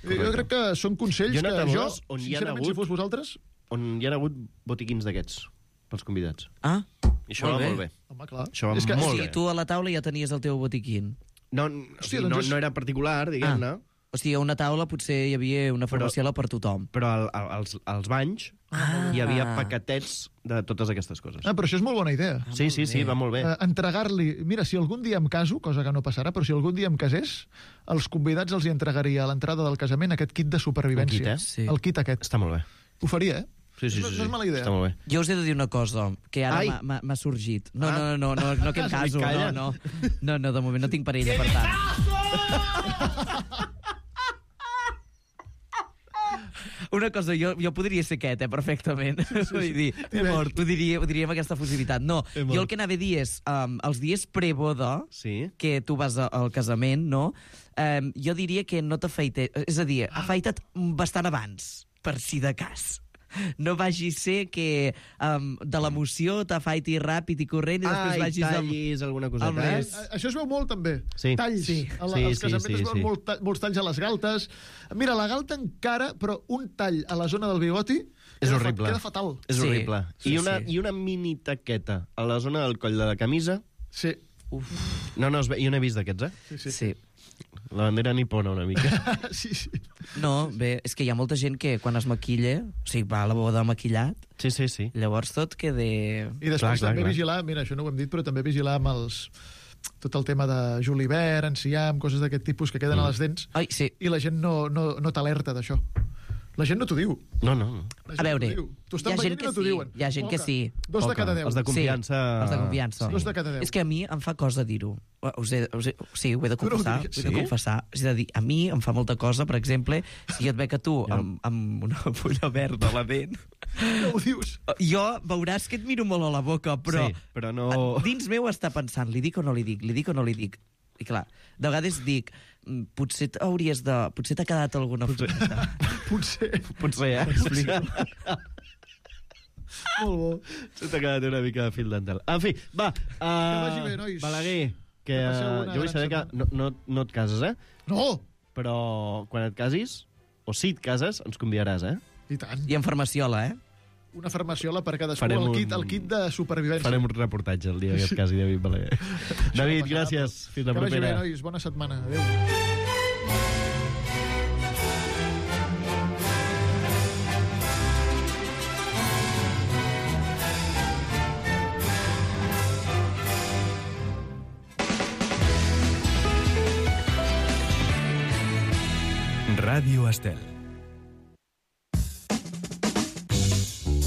K: Jo crec que són consells que jo,
L: sincerament,
K: si fos vosaltres...
L: On hi ha hagut botiquins d'aquests, pels convidats.
M: Ah,
L: i això va molt bé.
K: Home, clar.
L: Això va molt bé.
M: Tu a la taula ja tenies el teu botiquin.
L: No era particular, diguem-ne.
M: O sigui, a una taula potser hi havia una farmaciola per tothom.
L: Però als banys hi havia paquetets de totes aquestes coses.
K: Però això és molt bona idea.
L: Sí, va molt bé.
K: Entregar-li... Mira, si algun dia em caso, cosa que no passarà, però si algun dia em casés, els convidats els hi entregaria a l'entrada del casament aquest kit de supervivència.
L: El
K: kit, El kit aquest.
L: Està molt bé.
K: Ho faria, eh?
L: Sí.
K: No és mala idea.
L: Està molt bé.
M: Jo us he de dir una cosa, que ara m'ha sorgit. No, que em caso. No, de moment no tinc parella, per tant. Una cosa, jo podria ser aquest, perfectament. Vull dir, ho diria amb aquesta fusibilitat. No, jo el que anava a dir és, els dies preboda, que tu vas al casament, no? Jo diria que no t'afaites... És a dir, afaita't bastant abans, per si de cas. No vagi a ser que de l'emoció t'afaiti ràpid i corrent i després vagis...
L: tallis alguna coseta.
K: Això es veu molt, també.
L: Sí.
K: Talls. Als casaments es veuen molts talls a les galtes. Mira, la galta encara, però un tall a la zona del bigoti
L: és horrible.
K: Queda fatal.
L: És horrible. I una mini taqueta a la zona del coll de la camisa.
K: Sí.
L: No, jo n'he vist d'aquests, eh?
M: Sí.
L: La bandera nipona, una mica.
K: Sí.
M: No, bé, és que hi ha molta gent que quan es maquilla, o sigui, va a la boda maquillat,
L: sí.
M: Llavors tot queda...
K: I després també vigilar, mira, això no ho hem dit, però també vigilar amb tot el tema de julivert, enciam, coses d'aquest tipus que queden a les dents.
M: Ai, sí.
K: I la gent no t'alerta d'això. La gent no t'ho diu.
L: No.
M: A veure,
K: t'ho estan veient i no t'ho diuen.
M: Hi ha gent que sí.
K: 2 de cada 10.
L: Els de confiança.
M: Sí, els de confiança.
K: 2 de cada 10.
M: És que a mi em fa cosa dir-ho. Sí, ho he de confessar. És a dir, a mi em fa molta cosa, per exemple, si jo et veig a tu amb una fulla verda a la dent...
K: No ho dius.
M: Jo veuràs que et miro molt a la boca, però
L: no...
M: dins meu està pensant, li dic o no li dic, li dic o no li dic. I clar, de vegades dic, potser t'ha quedat alguna fulleta.
K: Potser,
L: eh?
K: Molt bo.
L: Se t'ha quedat una mica de fil dental. En fi, va.
K: Que vagi bé, nois.
L: Balaguer, que jo vull saber que no et cases, eh?
K: No!
L: Però quan et casis, o si et cases, ens convidaràs, eh?
K: I tant.
M: I en farmaciola, eh?
K: Una farmaciola per cadascú, el kit de supervivència.
L: Farem un reportatge el dia que et casi David Balaguer. David, gràcies. Fins la propera.
K: Que vagi bé, nois. Bona setmana. Adéu.
N: Ràdio Estel.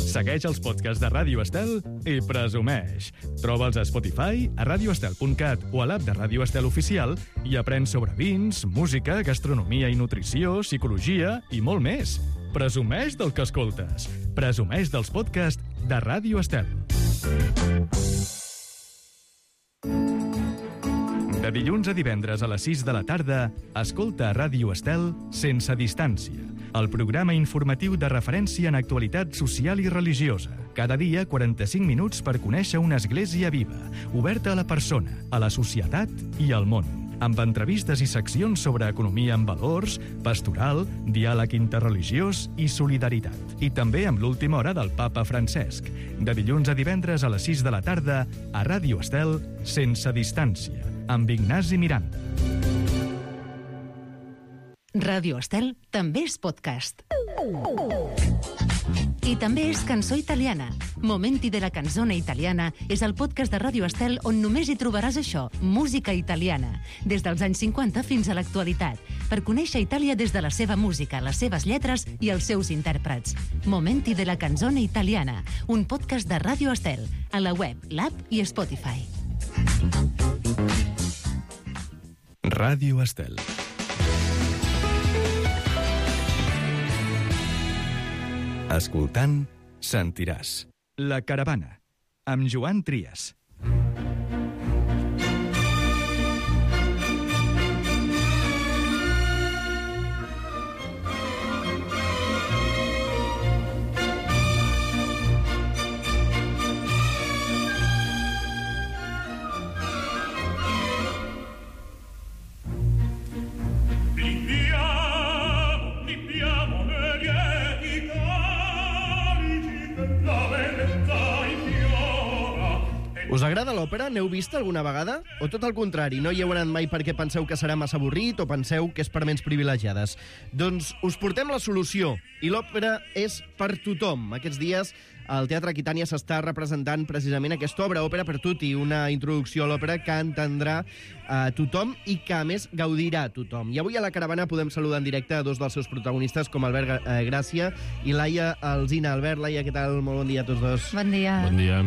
N: Segueix els podcasts de Ràdio Estel i presumeix. Troba'ls a Spotify, a radioestel.cat o a l'app de Ràdio Estel Oficial i aprèn sobre vins, música, gastronomia i nutrició, psicologia i molt més. Presumeix del que escoltes. Presumeix dels podcasts de Ràdio Estel. De dilluns a divendres a les 6 de la tarda, escolta a Ràdio Estel Sense Distància, el programa informatiu de referència en actualitat social i religiosa. Cada dia, 45 minuts per conèixer una església viva, oberta a la persona, a la societat i al món, amb entrevistes i seccions sobre economia amb valors, pastoral, diàleg interreligiós i solidaritat. I també amb l'última hora del Papa Francesc. De dilluns a divendres a les 6 de la tarda, a Ràdio Estel Sense Distància, amb Ignasi Miranda.
O: Ràdio Estel també és podcast. I també és cançó italiana. Momenti de la canzone italiana és el podcast de Ràdio Estel on només hi trobaràs això, música italiana, des dels anys 50 fins a l'actualitat, per conèixer Itàlia des de la seva música, les seves lletres i els seus intèrprets. Momenti de la canzone italiana, un podcast de Ràdio Estel, a la web, l'app i Spotify.
N: Ràdio Estel. Escoltant, sentiràs. La Caravana, amb Joan Trias.
L: Us agrada l'òpera? N'heu vist alguna vegada? O tot el contrari, no hi heu anat mai perquè penseu que serà massa avorrit o penseu que és per ments privilegiades? Doncs us portem la solució, i l'òpera és per tothom. Aquests dies al Teatre Aquitània s'està representant precisament aquesta obra, Òpera per Tutti, una introducció a l'òpera que entendrà tothom i que, a més, gaudirà tothom. I avui a la Caravana podem saludar en directe a dos dels seus protagonistes, com Albert Gràcia i Laia Alsina. Albert, Laia, què tal? Molt bon dia a tots dos.
B: Bon dia.
P: Bon dia.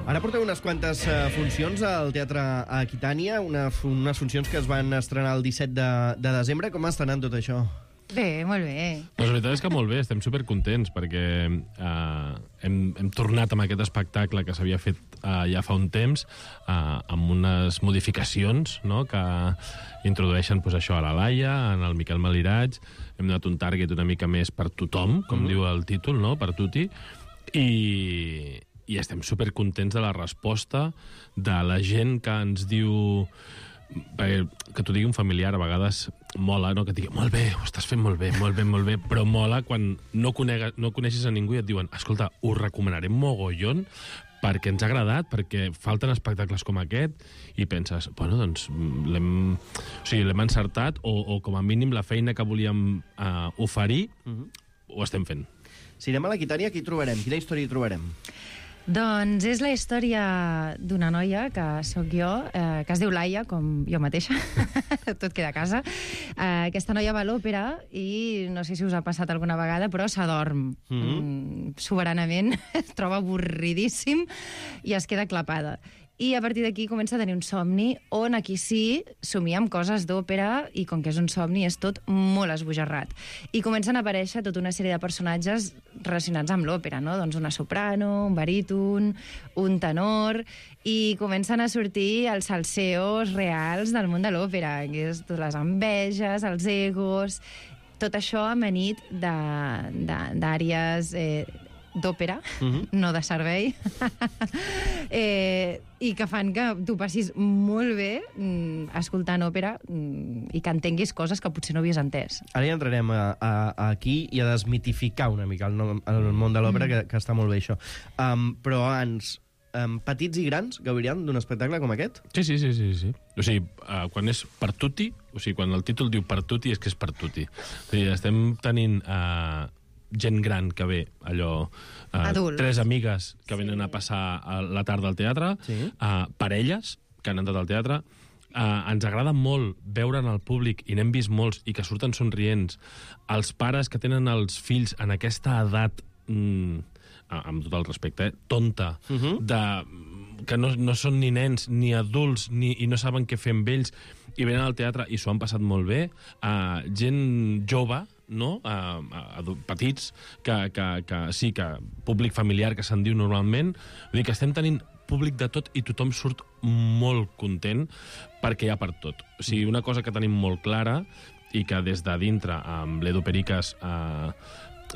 L: Ara porteu unes quantes funcions al Teatre Aquitània, unes funcions que es van estrenar el 17 de desembre. Com està anant tot això?
B: Bé, molt bé.
P: Doncs la veritat és que molt bé, estem supercontents perquè hem tornat amb aquest espectacle que s'havia fet ja fa un temps amb unes modificacions, no?, que introdueixen pues, això a la Laia, en el Miquel Maliraig. Hem donat un target una mica més per tothom, com diu el títol, no?, per tutti, i estem supercontents de la resposta de la gent que ens diu... que t'ho digui un familiar a vegades mola, no? Que et digui, molt bé, ho estàs fent molt bé, molt bé, molt bé, però mola quan no coneixes a ningú i et diuen, escolta, ho recomanarem mogollon perquè ens ha agradat, perquè falten espectacles com aquest, i penses, bueno, doncs l'hem encertat, o com a mínim la feina que volíem oferir ho estem fent.
L: Si anem a l'Aquitània, què hi trobarem? Quina història hi trobarem?
B: Doncs és la història d'una noia, que sóc jo, que es diu Laia, com jo mateixa, tot queda a casa. Aquesta noia va a l'òpera i no sé si us ha passat alguna vegada, però s'adorm soberanament, es troba avorridíssim i es queda clapada. I a partir d'aquí comença a tenir un somni on aquí sí somia amb coses d'òpera i com que és un somni és tot molt esbojarrat. I comencen a aparèixer tota una sèrie de personatges relacionats amb l'òpera, no? Doncs una soprano, un baríton, un tenor, i comencen a sortir els salseos reals del món de l'òpera, que és totes les enveges, els egos, tot això amanit d'àries d'òpera, no de servei, i que fan que tu passis molt bé escoltant òpera i que entenguis coses que potser no havies entès.
L: Ara ja entrarem aquí i a desmitificar una mica el món de l'òpera, que està molt bé això. Però abans, petits i grans gaudiran d'un espectacle com aquest?
P: Sí. O sigui, quan és per tutti, o sigui, quan el títol diu per tutti, és que és per tutti. O sigui, estem tenint gent gran que ve, allò... Tres amigues que venen a passar la tarda al teatre, parelles que han entrat al teatre, ens agrada molt veure en el públic, i n'hem vist molts, i que surten somrients, els pares que tenen els fills en aquesta edat, amb tot el respecte, tonta, que no són ni nens ni adults i no saben què fer amb ells, i venen al teatre i s'ho han passat molt bé, gent jove, no? Petits, que sí, que públic familiar, que se'n diu normalment, vull dir que estem tenint públic de tot i tothom surt molt content perquè hi ha per tot. O sigui, una cosa que tenim molt clara i que des de dintre amb l'Edu Pericas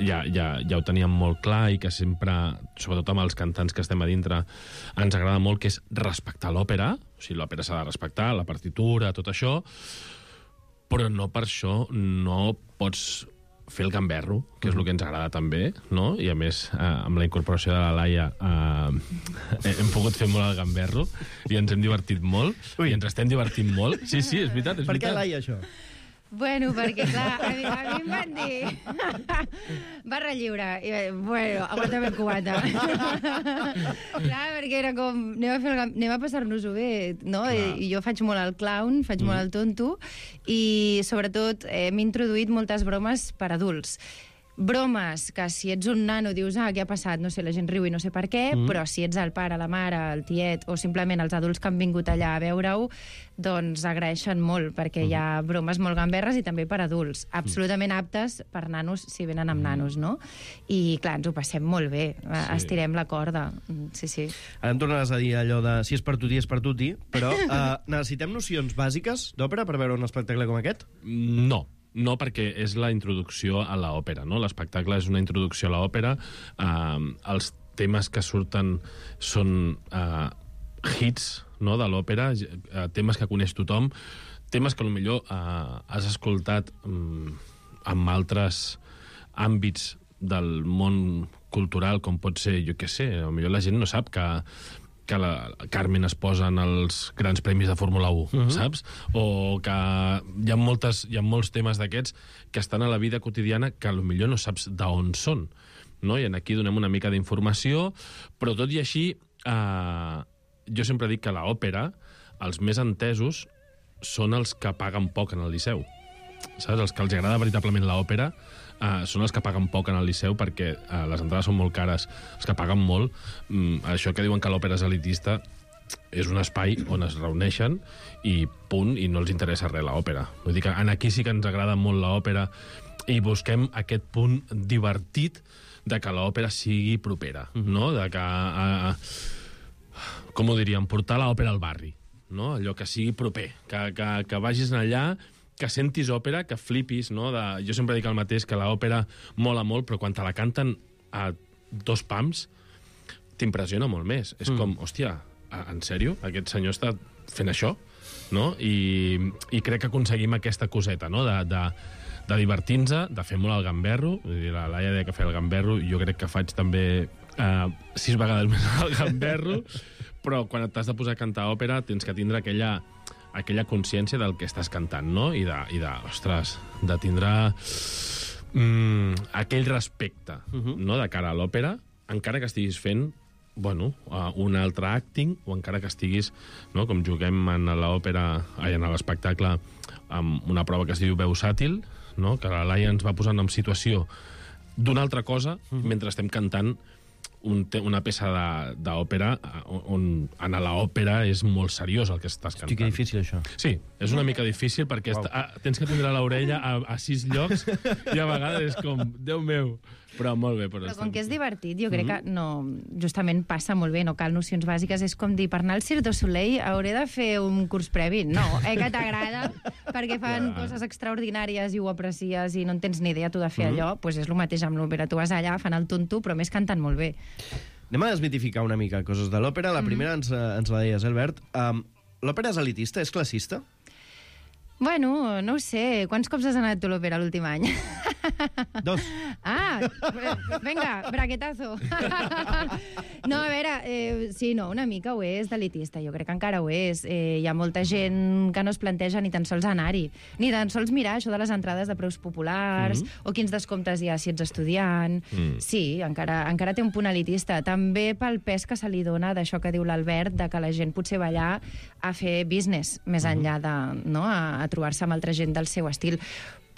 P: ja ho teníem molt clar i que sempre, sobretot amb els cantants que estem a dintre, ens agrada molt, que és respectar l'òpera. O sigui, l'òpera s'ha de respectar, la partitura, tot això, però no per això no pots fer el gamberro, que és el que ens agrada també, no? I a més, amb la incorporació de la Laia hem pogut fer molt el gamberro i ens hem divertit molt, i ens estem divertint molt. Sí, és veritat, és veritat.
L: Per què, Laia, això?
Q: Bueno, perquè, clar, a mi em van dir... Barra lliure. I bueno, aguanta'm el cubata. Clar, perquè era com... Anem a passar-nos-ho bé, no? I jo faig molt el clown, faig molt el tonto, i sobretot m'he introduït moltes bromes per adults. Bromes que si ets un nano dius, què ha passat? No sé, la gent riu i no sé per què, però si ets el pare, la mare, el tiet, o simplement els adults que han vingut allà a veure-ho, doncs agraeixen molt, perquè hi ha bromes molt gamberres i també per adults, absolutament aptes per nanos, si venen amb nanos, no? I, clar, ens ho passem molt bé, estirem la corda, sí.
L: Ara em tornaràs a dir allò de si és per tutti, és per tutti, però necessitem nocions bàsiques d'òpera per veure un espectacle com aquest?
P: No, perquè és la introducció a l'òpera, no? L'espectacle és una introducció a l'òpera. Els temes que surten són hits, no?, de l'òpera, temes que coneix tothom, temes que potser has escoltat en altres àmbits del món cultural, com pot ser, jo què sé, potser la gent no sap que la Carmen es posa en els grans premis de Fórmula 1, saps? O que hi ha molts temes d'aquests que estan a la vida quotidiana que potser no saps d'on són, no? I aquí donem una mica d'informació, però tot i així, jo sempre dic que l'òpera, els més entesos, són els que paguen poc en el Liceu. Saps? Els que els agrada veritablement l'òpera són els que paguen poc en el Liceu, perquè les entrades són molt cares. Els que paguen molt, això que diuen que l'òpera és elitista, és un espai on es reuneixen i punt, i no els interessa res l'òpera. Vull dir que aquí sí que ens agrada molt l'òpera i busquem aquest punt divertit de que l'òpera sigui propera, no? De que, com ho diríem, portar l'òpera al barri, no? Allò que sigui proper, que vagis allà, que sentis òpera, que flipis, no? Jo sempre dic el mateix, que l'òpera mola molt, però quan te la canten a 2 pams, t'impressiona molt més. És com, hòstia, en sèrio? Aquest senyor està fent això? No? I crec que aconseguim aquesta coseta, no? De divertir-nos, de fer molt el gamberro. La Laia deia que feia el gamberro, jo crec que faig també 6 vegades més el gamberro, però quan t'has de posar a cantar òpera tens que tindre aquella consciència del que estàs cantant, no? I ostres, de tindre aquell respecte, no?, de cara a l'òpera, encara que estiguis fent, un altre acting, o encara que estiguis, no?, com juguem en l'òpera, en l'espectacle, amb una prova que es diu veu sàtil, no?, que la Laia ens va posant en situació d'una altra cosa mentre estem cantant una peça d'òpera on en l'òpera és molt seriós el que estàs cantant.
L: Hosti, que difícil, això.
P: Sí, és una mica difícil perquè tens que tindre l'orella a 6 llocs i a vegades és com, Déu meu, però molt bé.
Q: Però com que és divertit, jo crec que no, justament passa molt bé, no cal nocions bàsiques, és com dir, per anar al Cirque du Soleil hauré de fer un curs previ. No, que t'agrada, perquè fan coses extraordinàries i ho aprecies i no en tens ni idea tu de fer allò, doncs és el mateix amb l'òpera. Tu vas allà, fan el tonto, però més cantant molt bé.
L: Anem a desmitificar una mica coses de l'òpera. La primera ens la deies, Albert. L'òpera és elitista? És classista?
Q: Bueno, no ho sé. Quants cops has anat tu a l'òpera l'últim any?
L: Dos.
Q: Ah, venga, braquetazo. No, a veure, sí, no, una mica ho és d'elitista, jo crec que encara ho és. Hi ha molta gent que no es planteja ni tan sols anar-hi, ni tan sols mirar això de les entrades de preus populars, o quins descomptes hi ha si ets estudiant. Sí, encara té un punt elitista. També pel pes que se li dona d'això que diu l'Albert, de que la gent potser va allà a fer business, més enllà de, no, a trobar-se amb altra gent del seu estil.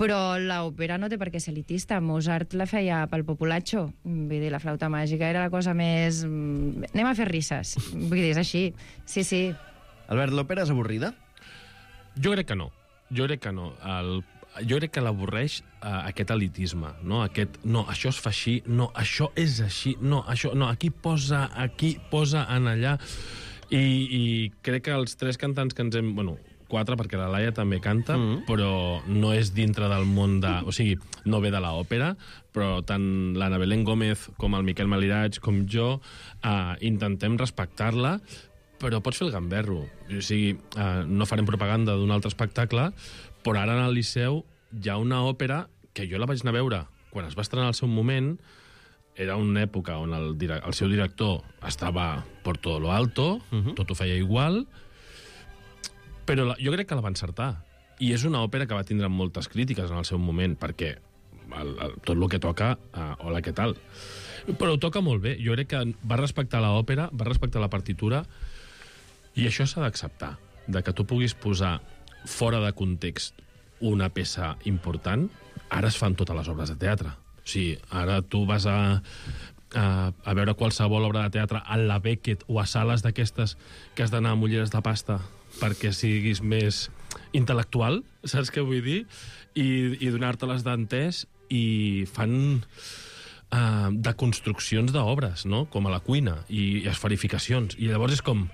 Q: Però l'òpera no té per què ser elitista. Mozart la feia pel populatxo. Vull dir, la flauta màgica era la cosa més... Anem a fer risses. Vull dir, és així. Sí, sí.
L: Albert, l'òpera és avorrida?
P: Jo crec que no. Jo crec que no. Jo crec que l'avorreix aquest elitisme, no? No, això es fa així, no, això és així, no, això, no, aquí posa en allà. I crec que els tres cantants que ens hem... Bueno, 4, perquè la Laia també canta, però no és dintre del món de... O sigui, no ve de l'òpera, però tant l'Anna Belén Gómez com el Miquel Malirach com jo intentem respectar-la, però pots fer el gamberro. O sigui, no farem propaganda d'un altre espectacle, però ara en el Liceu hi ha una òpera que jo la vaig anar a veure quan es va estrenar al seu moment. Era una època on el seu director estava por todo lo alto, tot ho feia igual, però jo crec que la va encertar. I és una òpera que va tindre moltes crítiques en el seu moment, perquè tot el que toca, hola, què tal? Però ho toca molt bé. Jo crec que va respectar l'òpera, va respectar la partitura, i això s'ha d'acceptar, de que tu puguis posar fora de context una peça important. Ara es fan totes les obres de teatre. O sigui, ara tu vas a veure qualsevol obra de teatre a la Beckett o a sales d'aquestes que has d'anar amb ulleres de pasta perquè siguis més intel·lectual, saps què vull dir? I donar-te-les d'entès, i fan deconstruccions d'obres, no? Com a la cuina, i esferificacions. I llavors és com,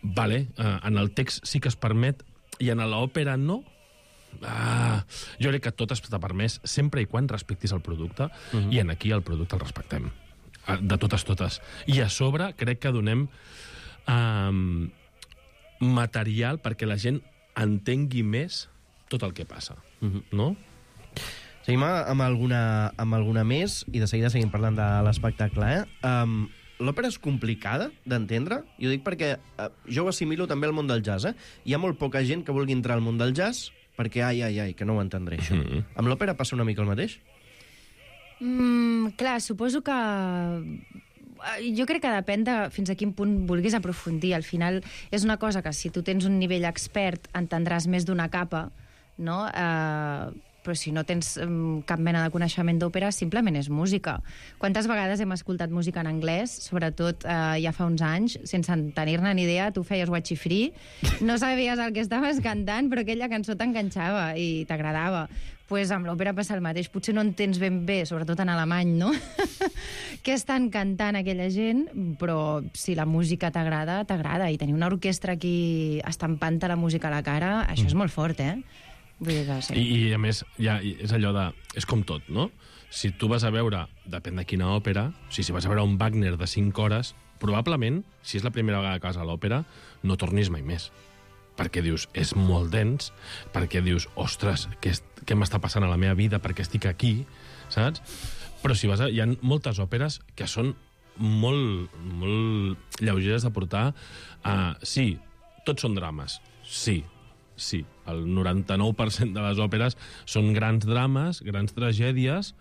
P: vale, en el text sí que es permet, i en l'òpera no. Jo crec que tot està permès sempre i quan respectis el producte, i aquí el producte el respectem. De totes. I a sobre crec que donem material perquè la gent entengui més tot el que passa, no?
L: Seguim amb alguna més, i de seguida seguim parlant de l'espectacle, L'òpera és complicada d'entendre? Jo dic perquè jo ho assimilo també al món del jazz, Hi ha molt poca gent que vulgui entrar al món del jazz perquè, que no ho entendré, això. Amb l'òpera passa una mica el mateix?
Q: Clar, suposo que... Jo crec que depèn de fins a quin punt vulguis aprofundir. Al final és una cosa que si tu tens un nivell expert entendràs més d'una capa, no? Però si no tens cap mena de coneixement d'òpera, simplement és música. Quantes vegades hem escoltat música en anglès, sobretot ja fa uns anys, sense tenir-ne ni idea, tu feies watchy free, no sabies el que estaves cantant, però aquella cançó t'enganxava i t'agradava. Pues amb l'òpera passa el mateix. Potser no entens ben bé, sobretot en alemany, no? Què estan cantant aquella gent, però si la música t'agrada, t'agrada. I tenir una orquestra aquí estampant-te la música a la cara, això és molt fort, Vull dir que sí.
P: I a més, ja és allò de... És com tot, no? Si tu vas a veure, depèn de quina òpera, si vas a veure un Wagner de 5 hores, probablement, si és la primera vegada que vas a l'òpera, no tornis mai més. Perquè dius, és molt dens, perquè dius, ostres, què m'està passant a la meva vida, perquè estic aquí, saps? Però si vas hi ha moltes òperes que són molt lleugeres de portar. Sí, tots són drames, sí. El 99% de les òperes són grans drames, grans tragèdies.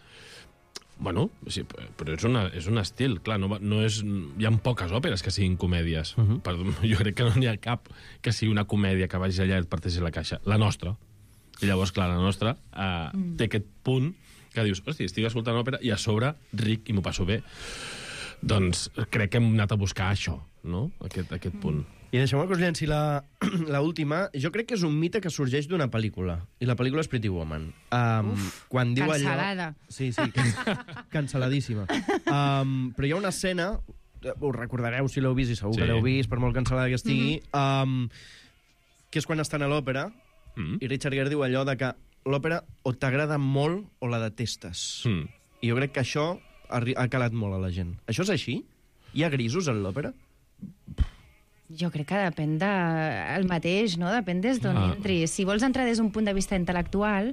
P: Bueno, sí, però és un estil, clar, hi ha poques òperes que siguin comèdies. Jo crec que no n'hi ha cap que sigui una comèdia que vagi allà i et parteixi la caixa. La nostra. I llavors, clar, la nostra té aquest punt que dius, hosti, estic escoltant òpera i a sobre ric i m'ho passo bé. Doncs crec que hem anat a buscar això, no? Aquest punt.
L: I deixeu-me que us llenci l'última. Jo crec que és un mite que sorgeix d'una pel·lícula. I la pel·lícula és Pretty Woman. Quan diu
Q: cancel·lada.
L: Allò... Sí, cancel·ladíssima. Però hi ha una escena, us recordareu si l'heu vist, i segur que l'heu vist, per molt cancel·lada que estigui, que és quan estan a l'òpera, i Richard Gere diu allò de que l'òpera o t'agrada molt o la detestes. I jo crec que això ha calat molt a la gent. Això és així? Hi ha grisos en l'òpera?
Q: Jo crec que depèn del mateix, no? Depèn des d'on entris. Si vols entrar des d'un punt de vista intel·lectual,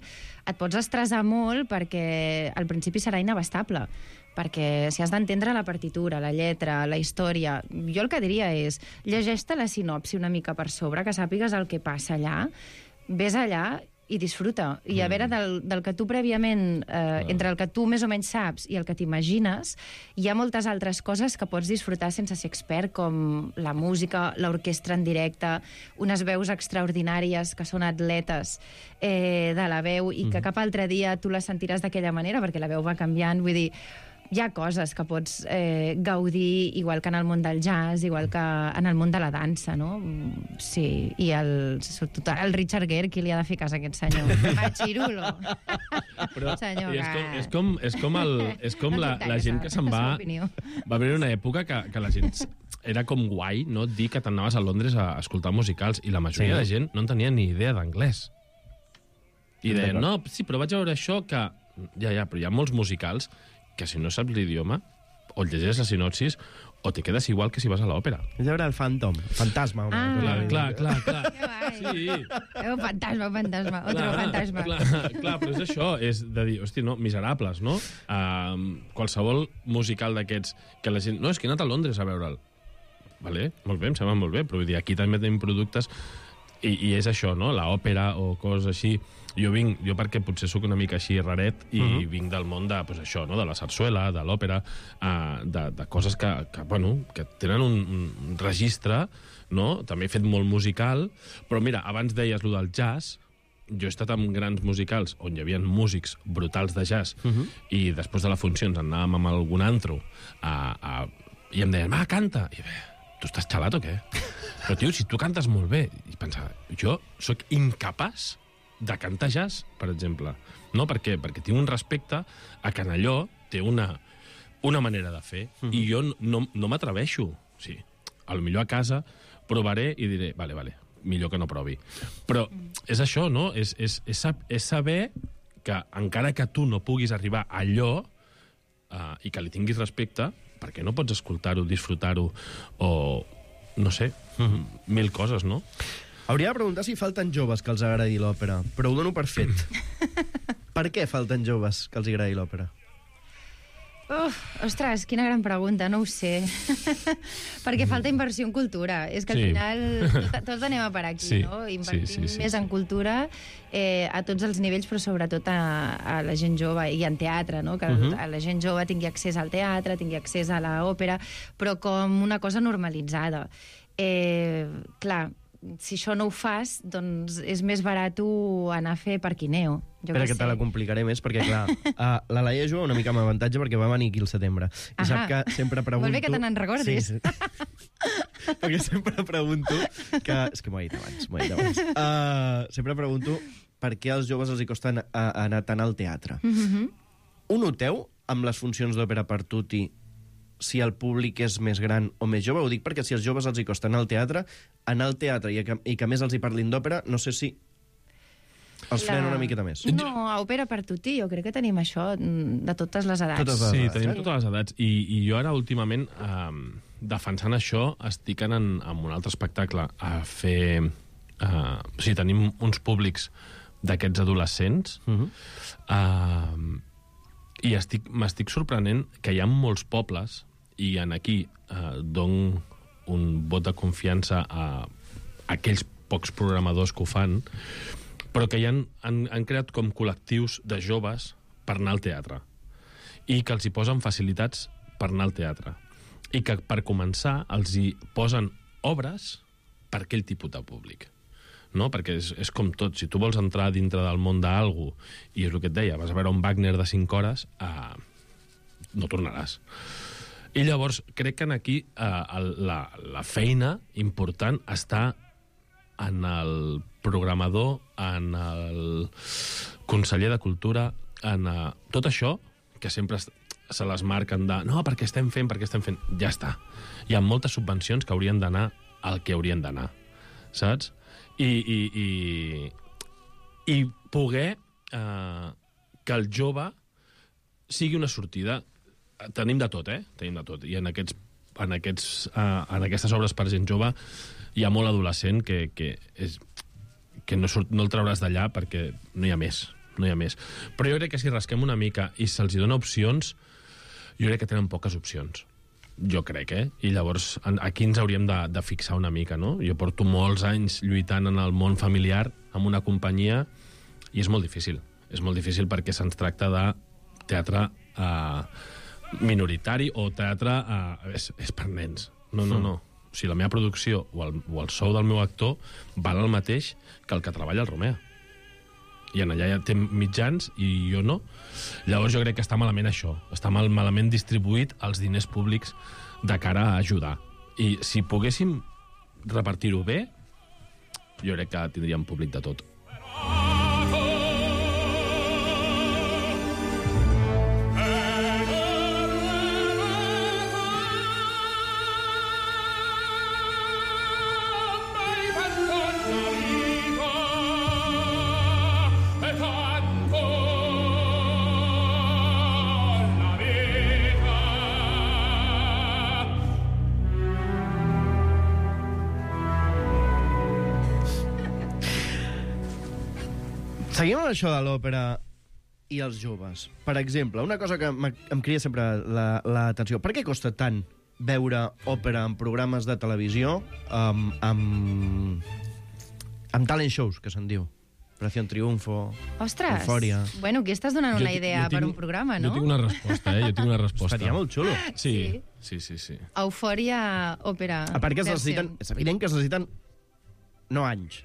Q: et pots estressar molt perquè al principi serà inabastable. Perquè si has d'entendre la partitura, la lletra, la història... Jo el que diria és, llegeix-te la sinopsi una mica per sobre, que sàpigues el que passa allà, ves allà i disfruta. I a veure, del que tu prèviament, entre el que tu més o menys saps i el que t'imagines, hi ha moltes altres coses que pots disfrutar sense ser expert, com la música, l'orquestra en directe, unes veus extraordinàries que són atletes de la veu i que cap altre dia tu les sentiràs d'aquella manera, perquè la veu va canviant. Vull dir, hi ha coses que pots gaudir, igual que en el món del jazz, igual que en el món de la dansa, no? Sí, i sobretot el Richard Gere, qui li ha de fer cas a aquest senyor? Machirulo. Senyor,
P: és com la gent que se'n va... Va haver una època que la gent... Era com guai, no?, dir que t'anaves a Londres a escoltar musicals i la majoria de gent no en tenia ni idea d'anglès. I deien, no, sí, però vaig a veure això que... Ja, però hi ha molts musicals que si no saps l'idioma, o llegeixes la sinopsis, o te quedes igual que si vas a l'òpera.
L: És veure el fantasma.
P: Clar.
Q: Sí. Fantasma, otro fantasma.
P: Clar, però és això, és de dir, hosti, no, Miserables, no? Qualsevol musical d'aquests que la gent... No, és que he anat a Londres a veure'l. Vale, molt bé, em sembla molt bé, però vull dir, aquí també tenim productes i és això, no? L'òpera o coses així. Jo perquè potser sóc una mica així raret i vinc del món de, pues això, no? De la sarsuela, de l'òpera, de coses que tenen un registre, no? També he fet molt musical, però mira, abans deies lo del jazz, jo he estat en grans musicals on hi havia músics brutals de jazz i després de les funcions anàvem amb algun antro i em deien, canta! I bé, tu estàs xalat o què? Però, tio, si tu cantes molt bé... I pensava, jo sóc incapaç de cantar jazz, per exemple. No? Perquè tinc un respecte a que en allò té una manera de fer i jo no m'atreveixo. Sí, potser a casa provaré i diré, vale, millor que no provi. Però és això, no? És saber que encara que tu no puguis arribar a allò i que li tinguis respecte, perquè no pots escoltar-ho, disfrutar-ho o, no sé, mil coses, no?
L: Hauria de preguntar si falten joves que els agradi l'òpera, però ho dono per fet. Per què falten joves que els agradi l'òpera?
Q: Ostres, quina gran pregunta, no ho sé. Perquè falta inversió en cultura. És que al final tots anem a per aquí, no? Invertim més en cultura a tots els nivells, però sobretot a la gent jove i en teatre, no? Que la gent jove tingui accés al teatre, tingui accés a l'òpera, però com una cosa normalitzada. Clar, si això no ho fas, doncs és més barat anar a fer parquineo.
L: Espera, que te la complicaré més, perquè, clar, la Laia juga una mica amb avantatge perquè va venir aquí al setembre. I sap que sempre pregunto...
Q: Molt bé que te n'en recordis.
L: Sí. Perquè sempre pregunto que... És que m'ho he dit abans. Sempre pregunto per què als joves els hi costa anar tant al teatre. Ho noteu amb les funcions d'òpera per tutti si el públic és més gran o més jove? Ho dic perquè si als joves els hi costa anar al teatre i que més els hi parlin d'òpera, no sé si els frena una miqueta més.
Q: No, a òpera per tutti, jo crec que tenim això de totes les edats.
P: Sí, tenim totes les edats. I jo ara, últimament, defensant això, estic anant amb un altre espectacle a fer... O sigui, tenim uns públics d'aquests adolescents i m'estic sorprenent que hi ha molts pobles i aquí dono un vot de confiança a aquells pocs programadors que ho fan, però que han creat com col·lectius de joves per anar al teatre i que els hi posen facilitats per anar al teatre i que per començar els hi posen obres per aquell tipus de públic. No? Perquè és com tot, si tu vols entrar dintre del món d'algú i és el que et deia, vas a veure un Wagner de 5 hores, no tornaràs. I llavors crec que aquí la feina important està en el programador, en el conseller de Cultura, en tot això que sempre se les marquen de no, perquè estem fent, ja està. Hi ha moltes subvencions que haurien d'anar al que haurien d'anar, saps? I poder que el jove sigui una sortida. Tenim de tot, Tenim de tot. I en aquests en aquestes obres per gent jove hi ha molt adolescent que no el trauràs d'allà perquè no hi ha més. Però jo crec que si rasquem una mica i se'ls dona opcions, jo crec que tenen poques opcions. Jo crec, I llavors aquí ens hauríem de fixar una mica, no? Jo porto molts anys lluitant en el món familiar amb una companyia i és molt difícil. És molt difícil perquè se'ns tracta de teatre minoritari o teatre... és per nens. No. O sigui, la meva producció o el sou del meu actor val el mateix que el que treballa al Romea. I en allà ja té mitjans i jo no. Llavors jo crec que està malament això. Està malament distribuït els diners públics de cara a ajudar. I si poguéssim repartir-ho bé, jo crec que tindríem públic de tot.
L: Seguim amb això de l'òpera i els joves. Per exemple, una cosa que em cria sempre l'atenció. Per què costa tant veure òpera en programes de televisió amb talent shows, que se'n diu? Operación Triunfo,
Q: Ostres!
L: Eufòria...
Q: Bueno, aquí estàs donant una idea per un programa, no?
P: Jo tinc una resposta,
L: Estaria molt xulo.
P: Sí.
Q: Eufòria, òpera...
L: A part que és evident que es necessiten no anys.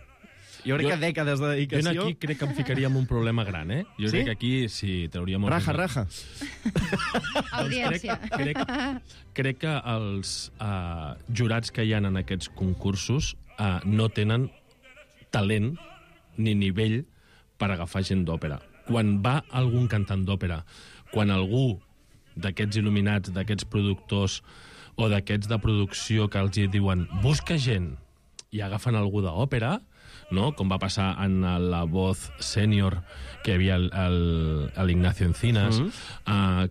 L: Jo crec que dècades de dedicació...
P: Jo aquí crec que em ficaria en un problema gran, Jo crec que aquí sí, trauria molt...
L: Raja.
Q: Audiència.
P: Crec que els jurats que hi ha en aquests concursos no tenen talent ni nivell per agafar gent d'òpera. Quan va algun cantant d'òpera, quan algú d'aquests il·luminats, d'aquests productors o d'aquests de producció que els diuen busca gent i agafen algú d'òpera, no? Com va passar en La Voz Sènior, que hi havia l'Ignacio Encinas,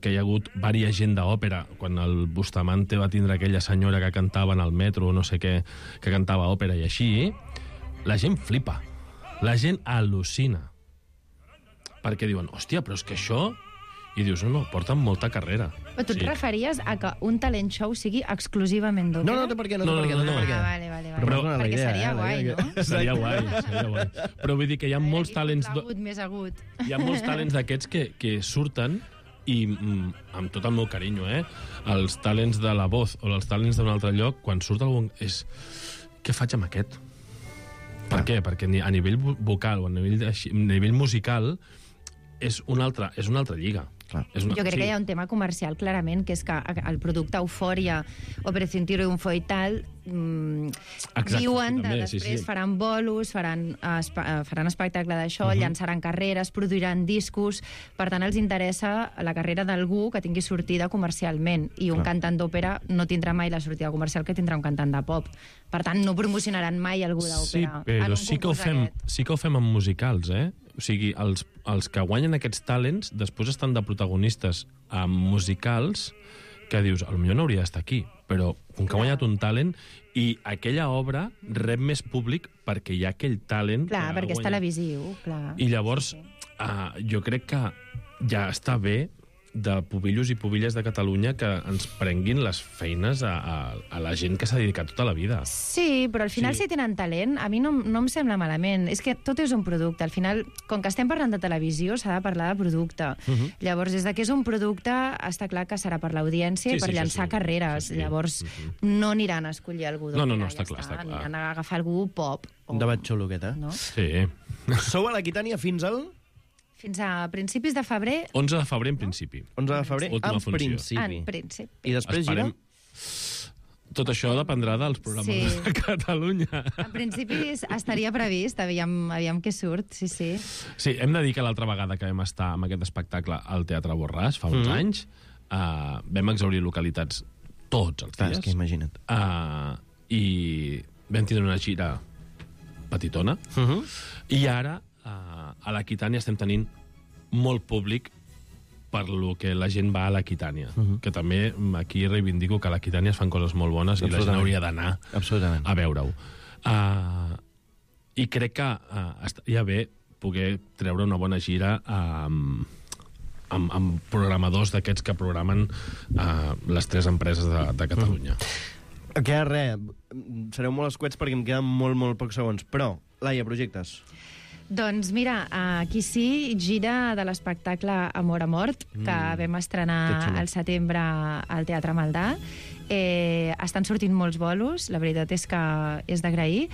P: que hi ha hagut diversa gent d'òpera, quan el Bustamante va tindre aquella senyora que cantava en el metro, no sé què, que cantava òpera i així, la gent flipa, la gent al·lucina, perquè diuen, hòstia, però és que això... I dius, no, porten molta carrera.
Q: Però tu et referies a que un talent show sigui exclusivament d'òpera?
L: No té per què.
Q: Vale. Perquè seria guai, no?
P: Seria guai. Però vull dir que hi ha molts talents...
Q: Més agut.
P: Hi ha molts talents d'aquests que surten i, amb tot el meu carinyo, els talents de La Voz o els talents d'un altre lloc, quan surt algun... Què faig amb aquest? Per què? Perquè a nivell vocal o a nivell musical és una altra lliga.
Q: Jo crec que hi ha un tema comercial, clarament, que és que el producte Eufòria, Operación Triunfo i tal, diuen que després faran bolos, faran espectacle d'això, llançaran carreres, produiran discos, per tant els interessa la carrera d'algú que tingui sortida comercialment, i un cantant d'òpera no tindrà mai la sortida comercial que tindrà un cantant de pop. Per tant, no promocionaran mai algú d'òpera.
P: Sí, però sí que ho fem amb musicals, O sigui, els que guanyen aquests talents després estan de protagonistes amb musicals que dius, potser no hauria d'estar aquí, però com que ha guanyat un talent i aquella obra rep més públic perquè hi ha aquell talent...
Q: Clar, perquè és televisiu, clar.
P: I llavors, jo crec que ja està bé de pubillos i pubilles de Catalunya que ens prenguin les feines a la gent que s'ha dedicat tota la vida.
Q: Sí, però al final si tenen talent, a mi no em sembla malament. És que tot és un producte. Al final, com que estem parlant de televisió, s'ha de parlar de producte. Llavors, des que és un producte, està clar que serà per l'audiència i per llançar carreres. Llavors, no aniran a escollir algú d'òpera.
P: No, està clar.
Q: Aniran a agafar algú pop.
L: Un debat xulo, aquest,
P: Sí.
L: Sou a l'Aquitània fins al...
Q: Fins a principis de febrer.
P: 11 de febrer, en principi.
L: 11 de febrer,
P: en
L: principi.
Q: En principi.
L: I després gira?
P: Tot això dependrà dels programes de Catalunya.
Q: En principi estaria previst, aviam què surt, sí.
P: Sí, hem de dir que l'altra vegada que vam estar amb aquest espectacle al Teatre Borràs, fa uns anys, vam exhaurir localitats tots els dies.
L: És que imagina't.
P: I vam tindre una gira petitona, i ara a l'Aquitània estem tenint molt públic per lo que la gent va a l'Aquitània. Que també aquí reivindico que a l'Aquitània es fan coses molt bones i la gent hauria d'anar a veure-ho. I crec que estaria bé poder treure una bona gira amb programadors d'aquests que programen les 3 empreses de Catalunya.
L: Queda res. Sereu molt escuets perquè em queden molt pocs segons. Però, Laia, projectes?
R: Doncs mira, aquí sí, gira de l'espectacle Amor a mort, que vam estrenar al setembre al Teatre Maldà. Estan sortint molts bolos, la veritat és que és d'agrair,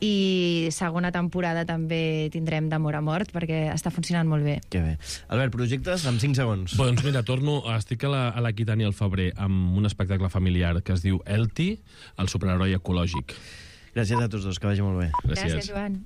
R: i segona temporada també tindrem d'Amor a mort, perquè està funcionant molt bé.
L: Que bé. Albert, projectes amb 5 segons.
P: Doncs mira, estic a l'Aquitània al febrer amb un espectacle familiar que es diu Elti, el superheroi ecològic.
L: Gràcies a tots dos, que vagi molt bé.
R: Gràcies, Joan.